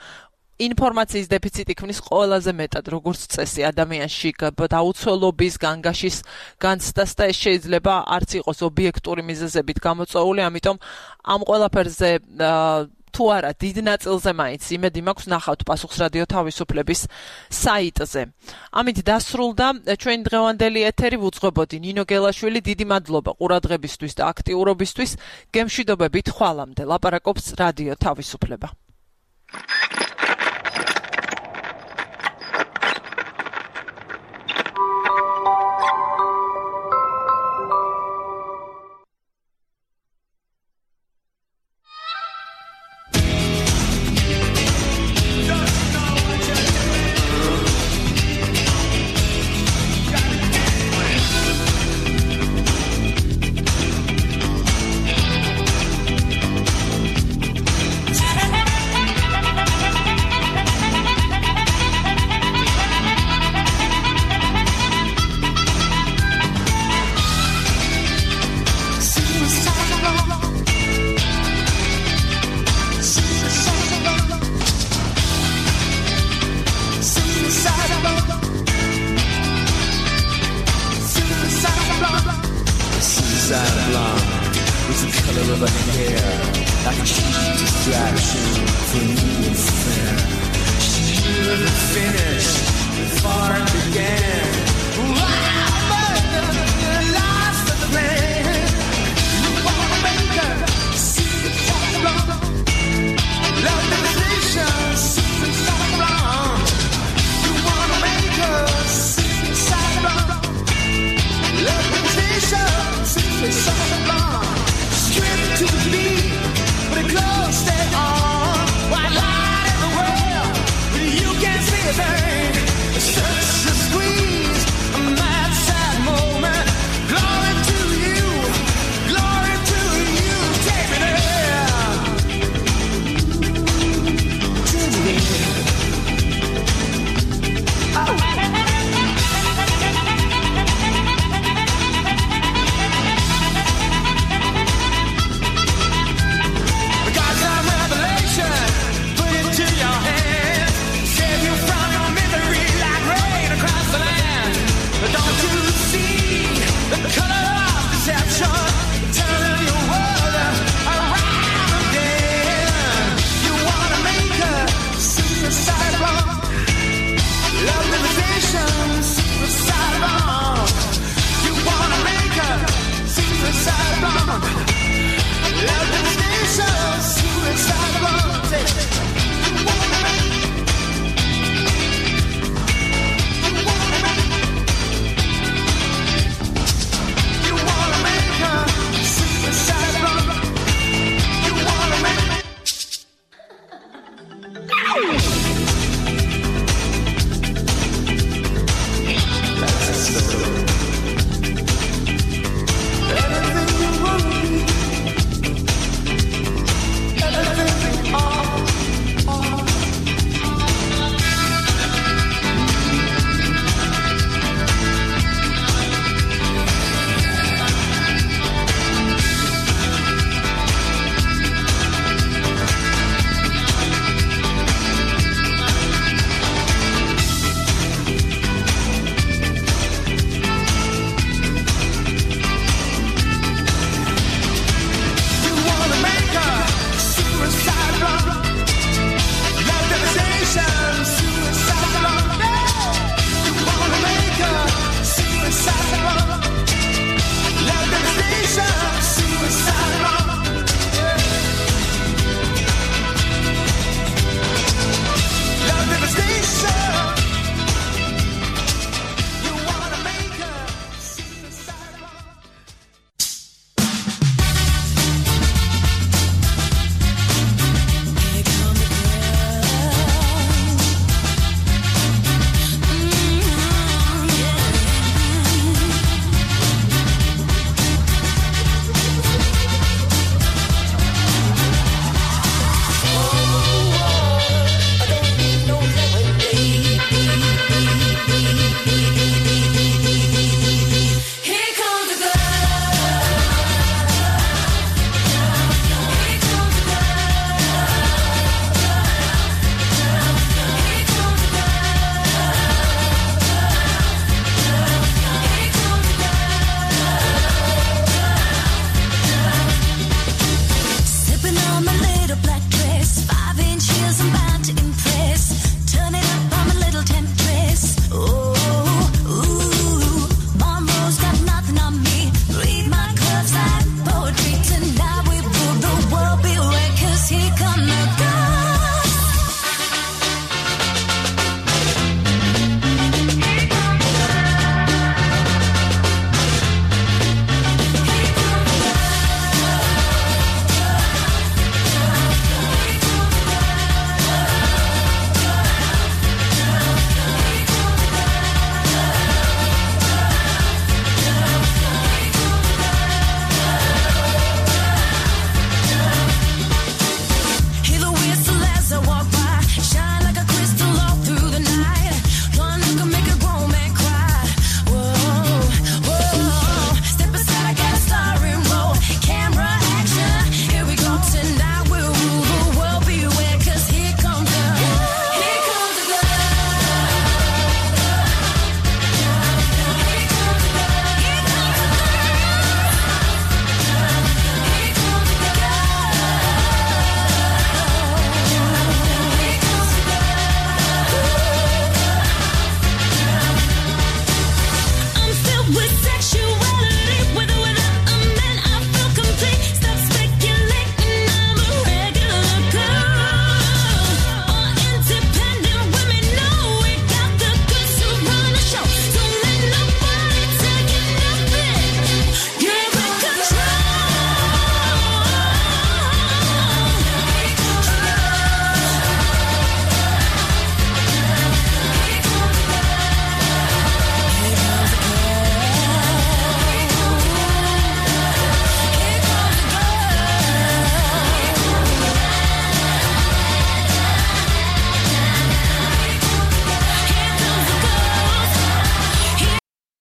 ინფორმაციის დეფიციტი ქმნის ყველაზე მეტად, როგორც წესი, ადამიანში დაუცველობის, განგაშის განცდას და ეს შეიძლება არც იყოს ობიექტური მიზეზებით გამოწვეული, ამიტომ ამ ყველაფერზე თუ არა დიდ ნაწილზე მაინც იმედი მაქვს ნახავთ პასუხს რადიო თავისუფლების საიტზე. ამით დასრულდა ჩვენი დღევანდელი ეთერი, ვუძღვებოდი ნინო გელაშვილი, დიდი მადლობა ყურადღებისთვის და აქტიურობისთვის. გემშვიდობებით ხვალამდე. ლაპარაკობს რადიო თავისუფლება. Suicide blonde with the color of her hair. like a cheap distraction for me and fair. She never finished, far began.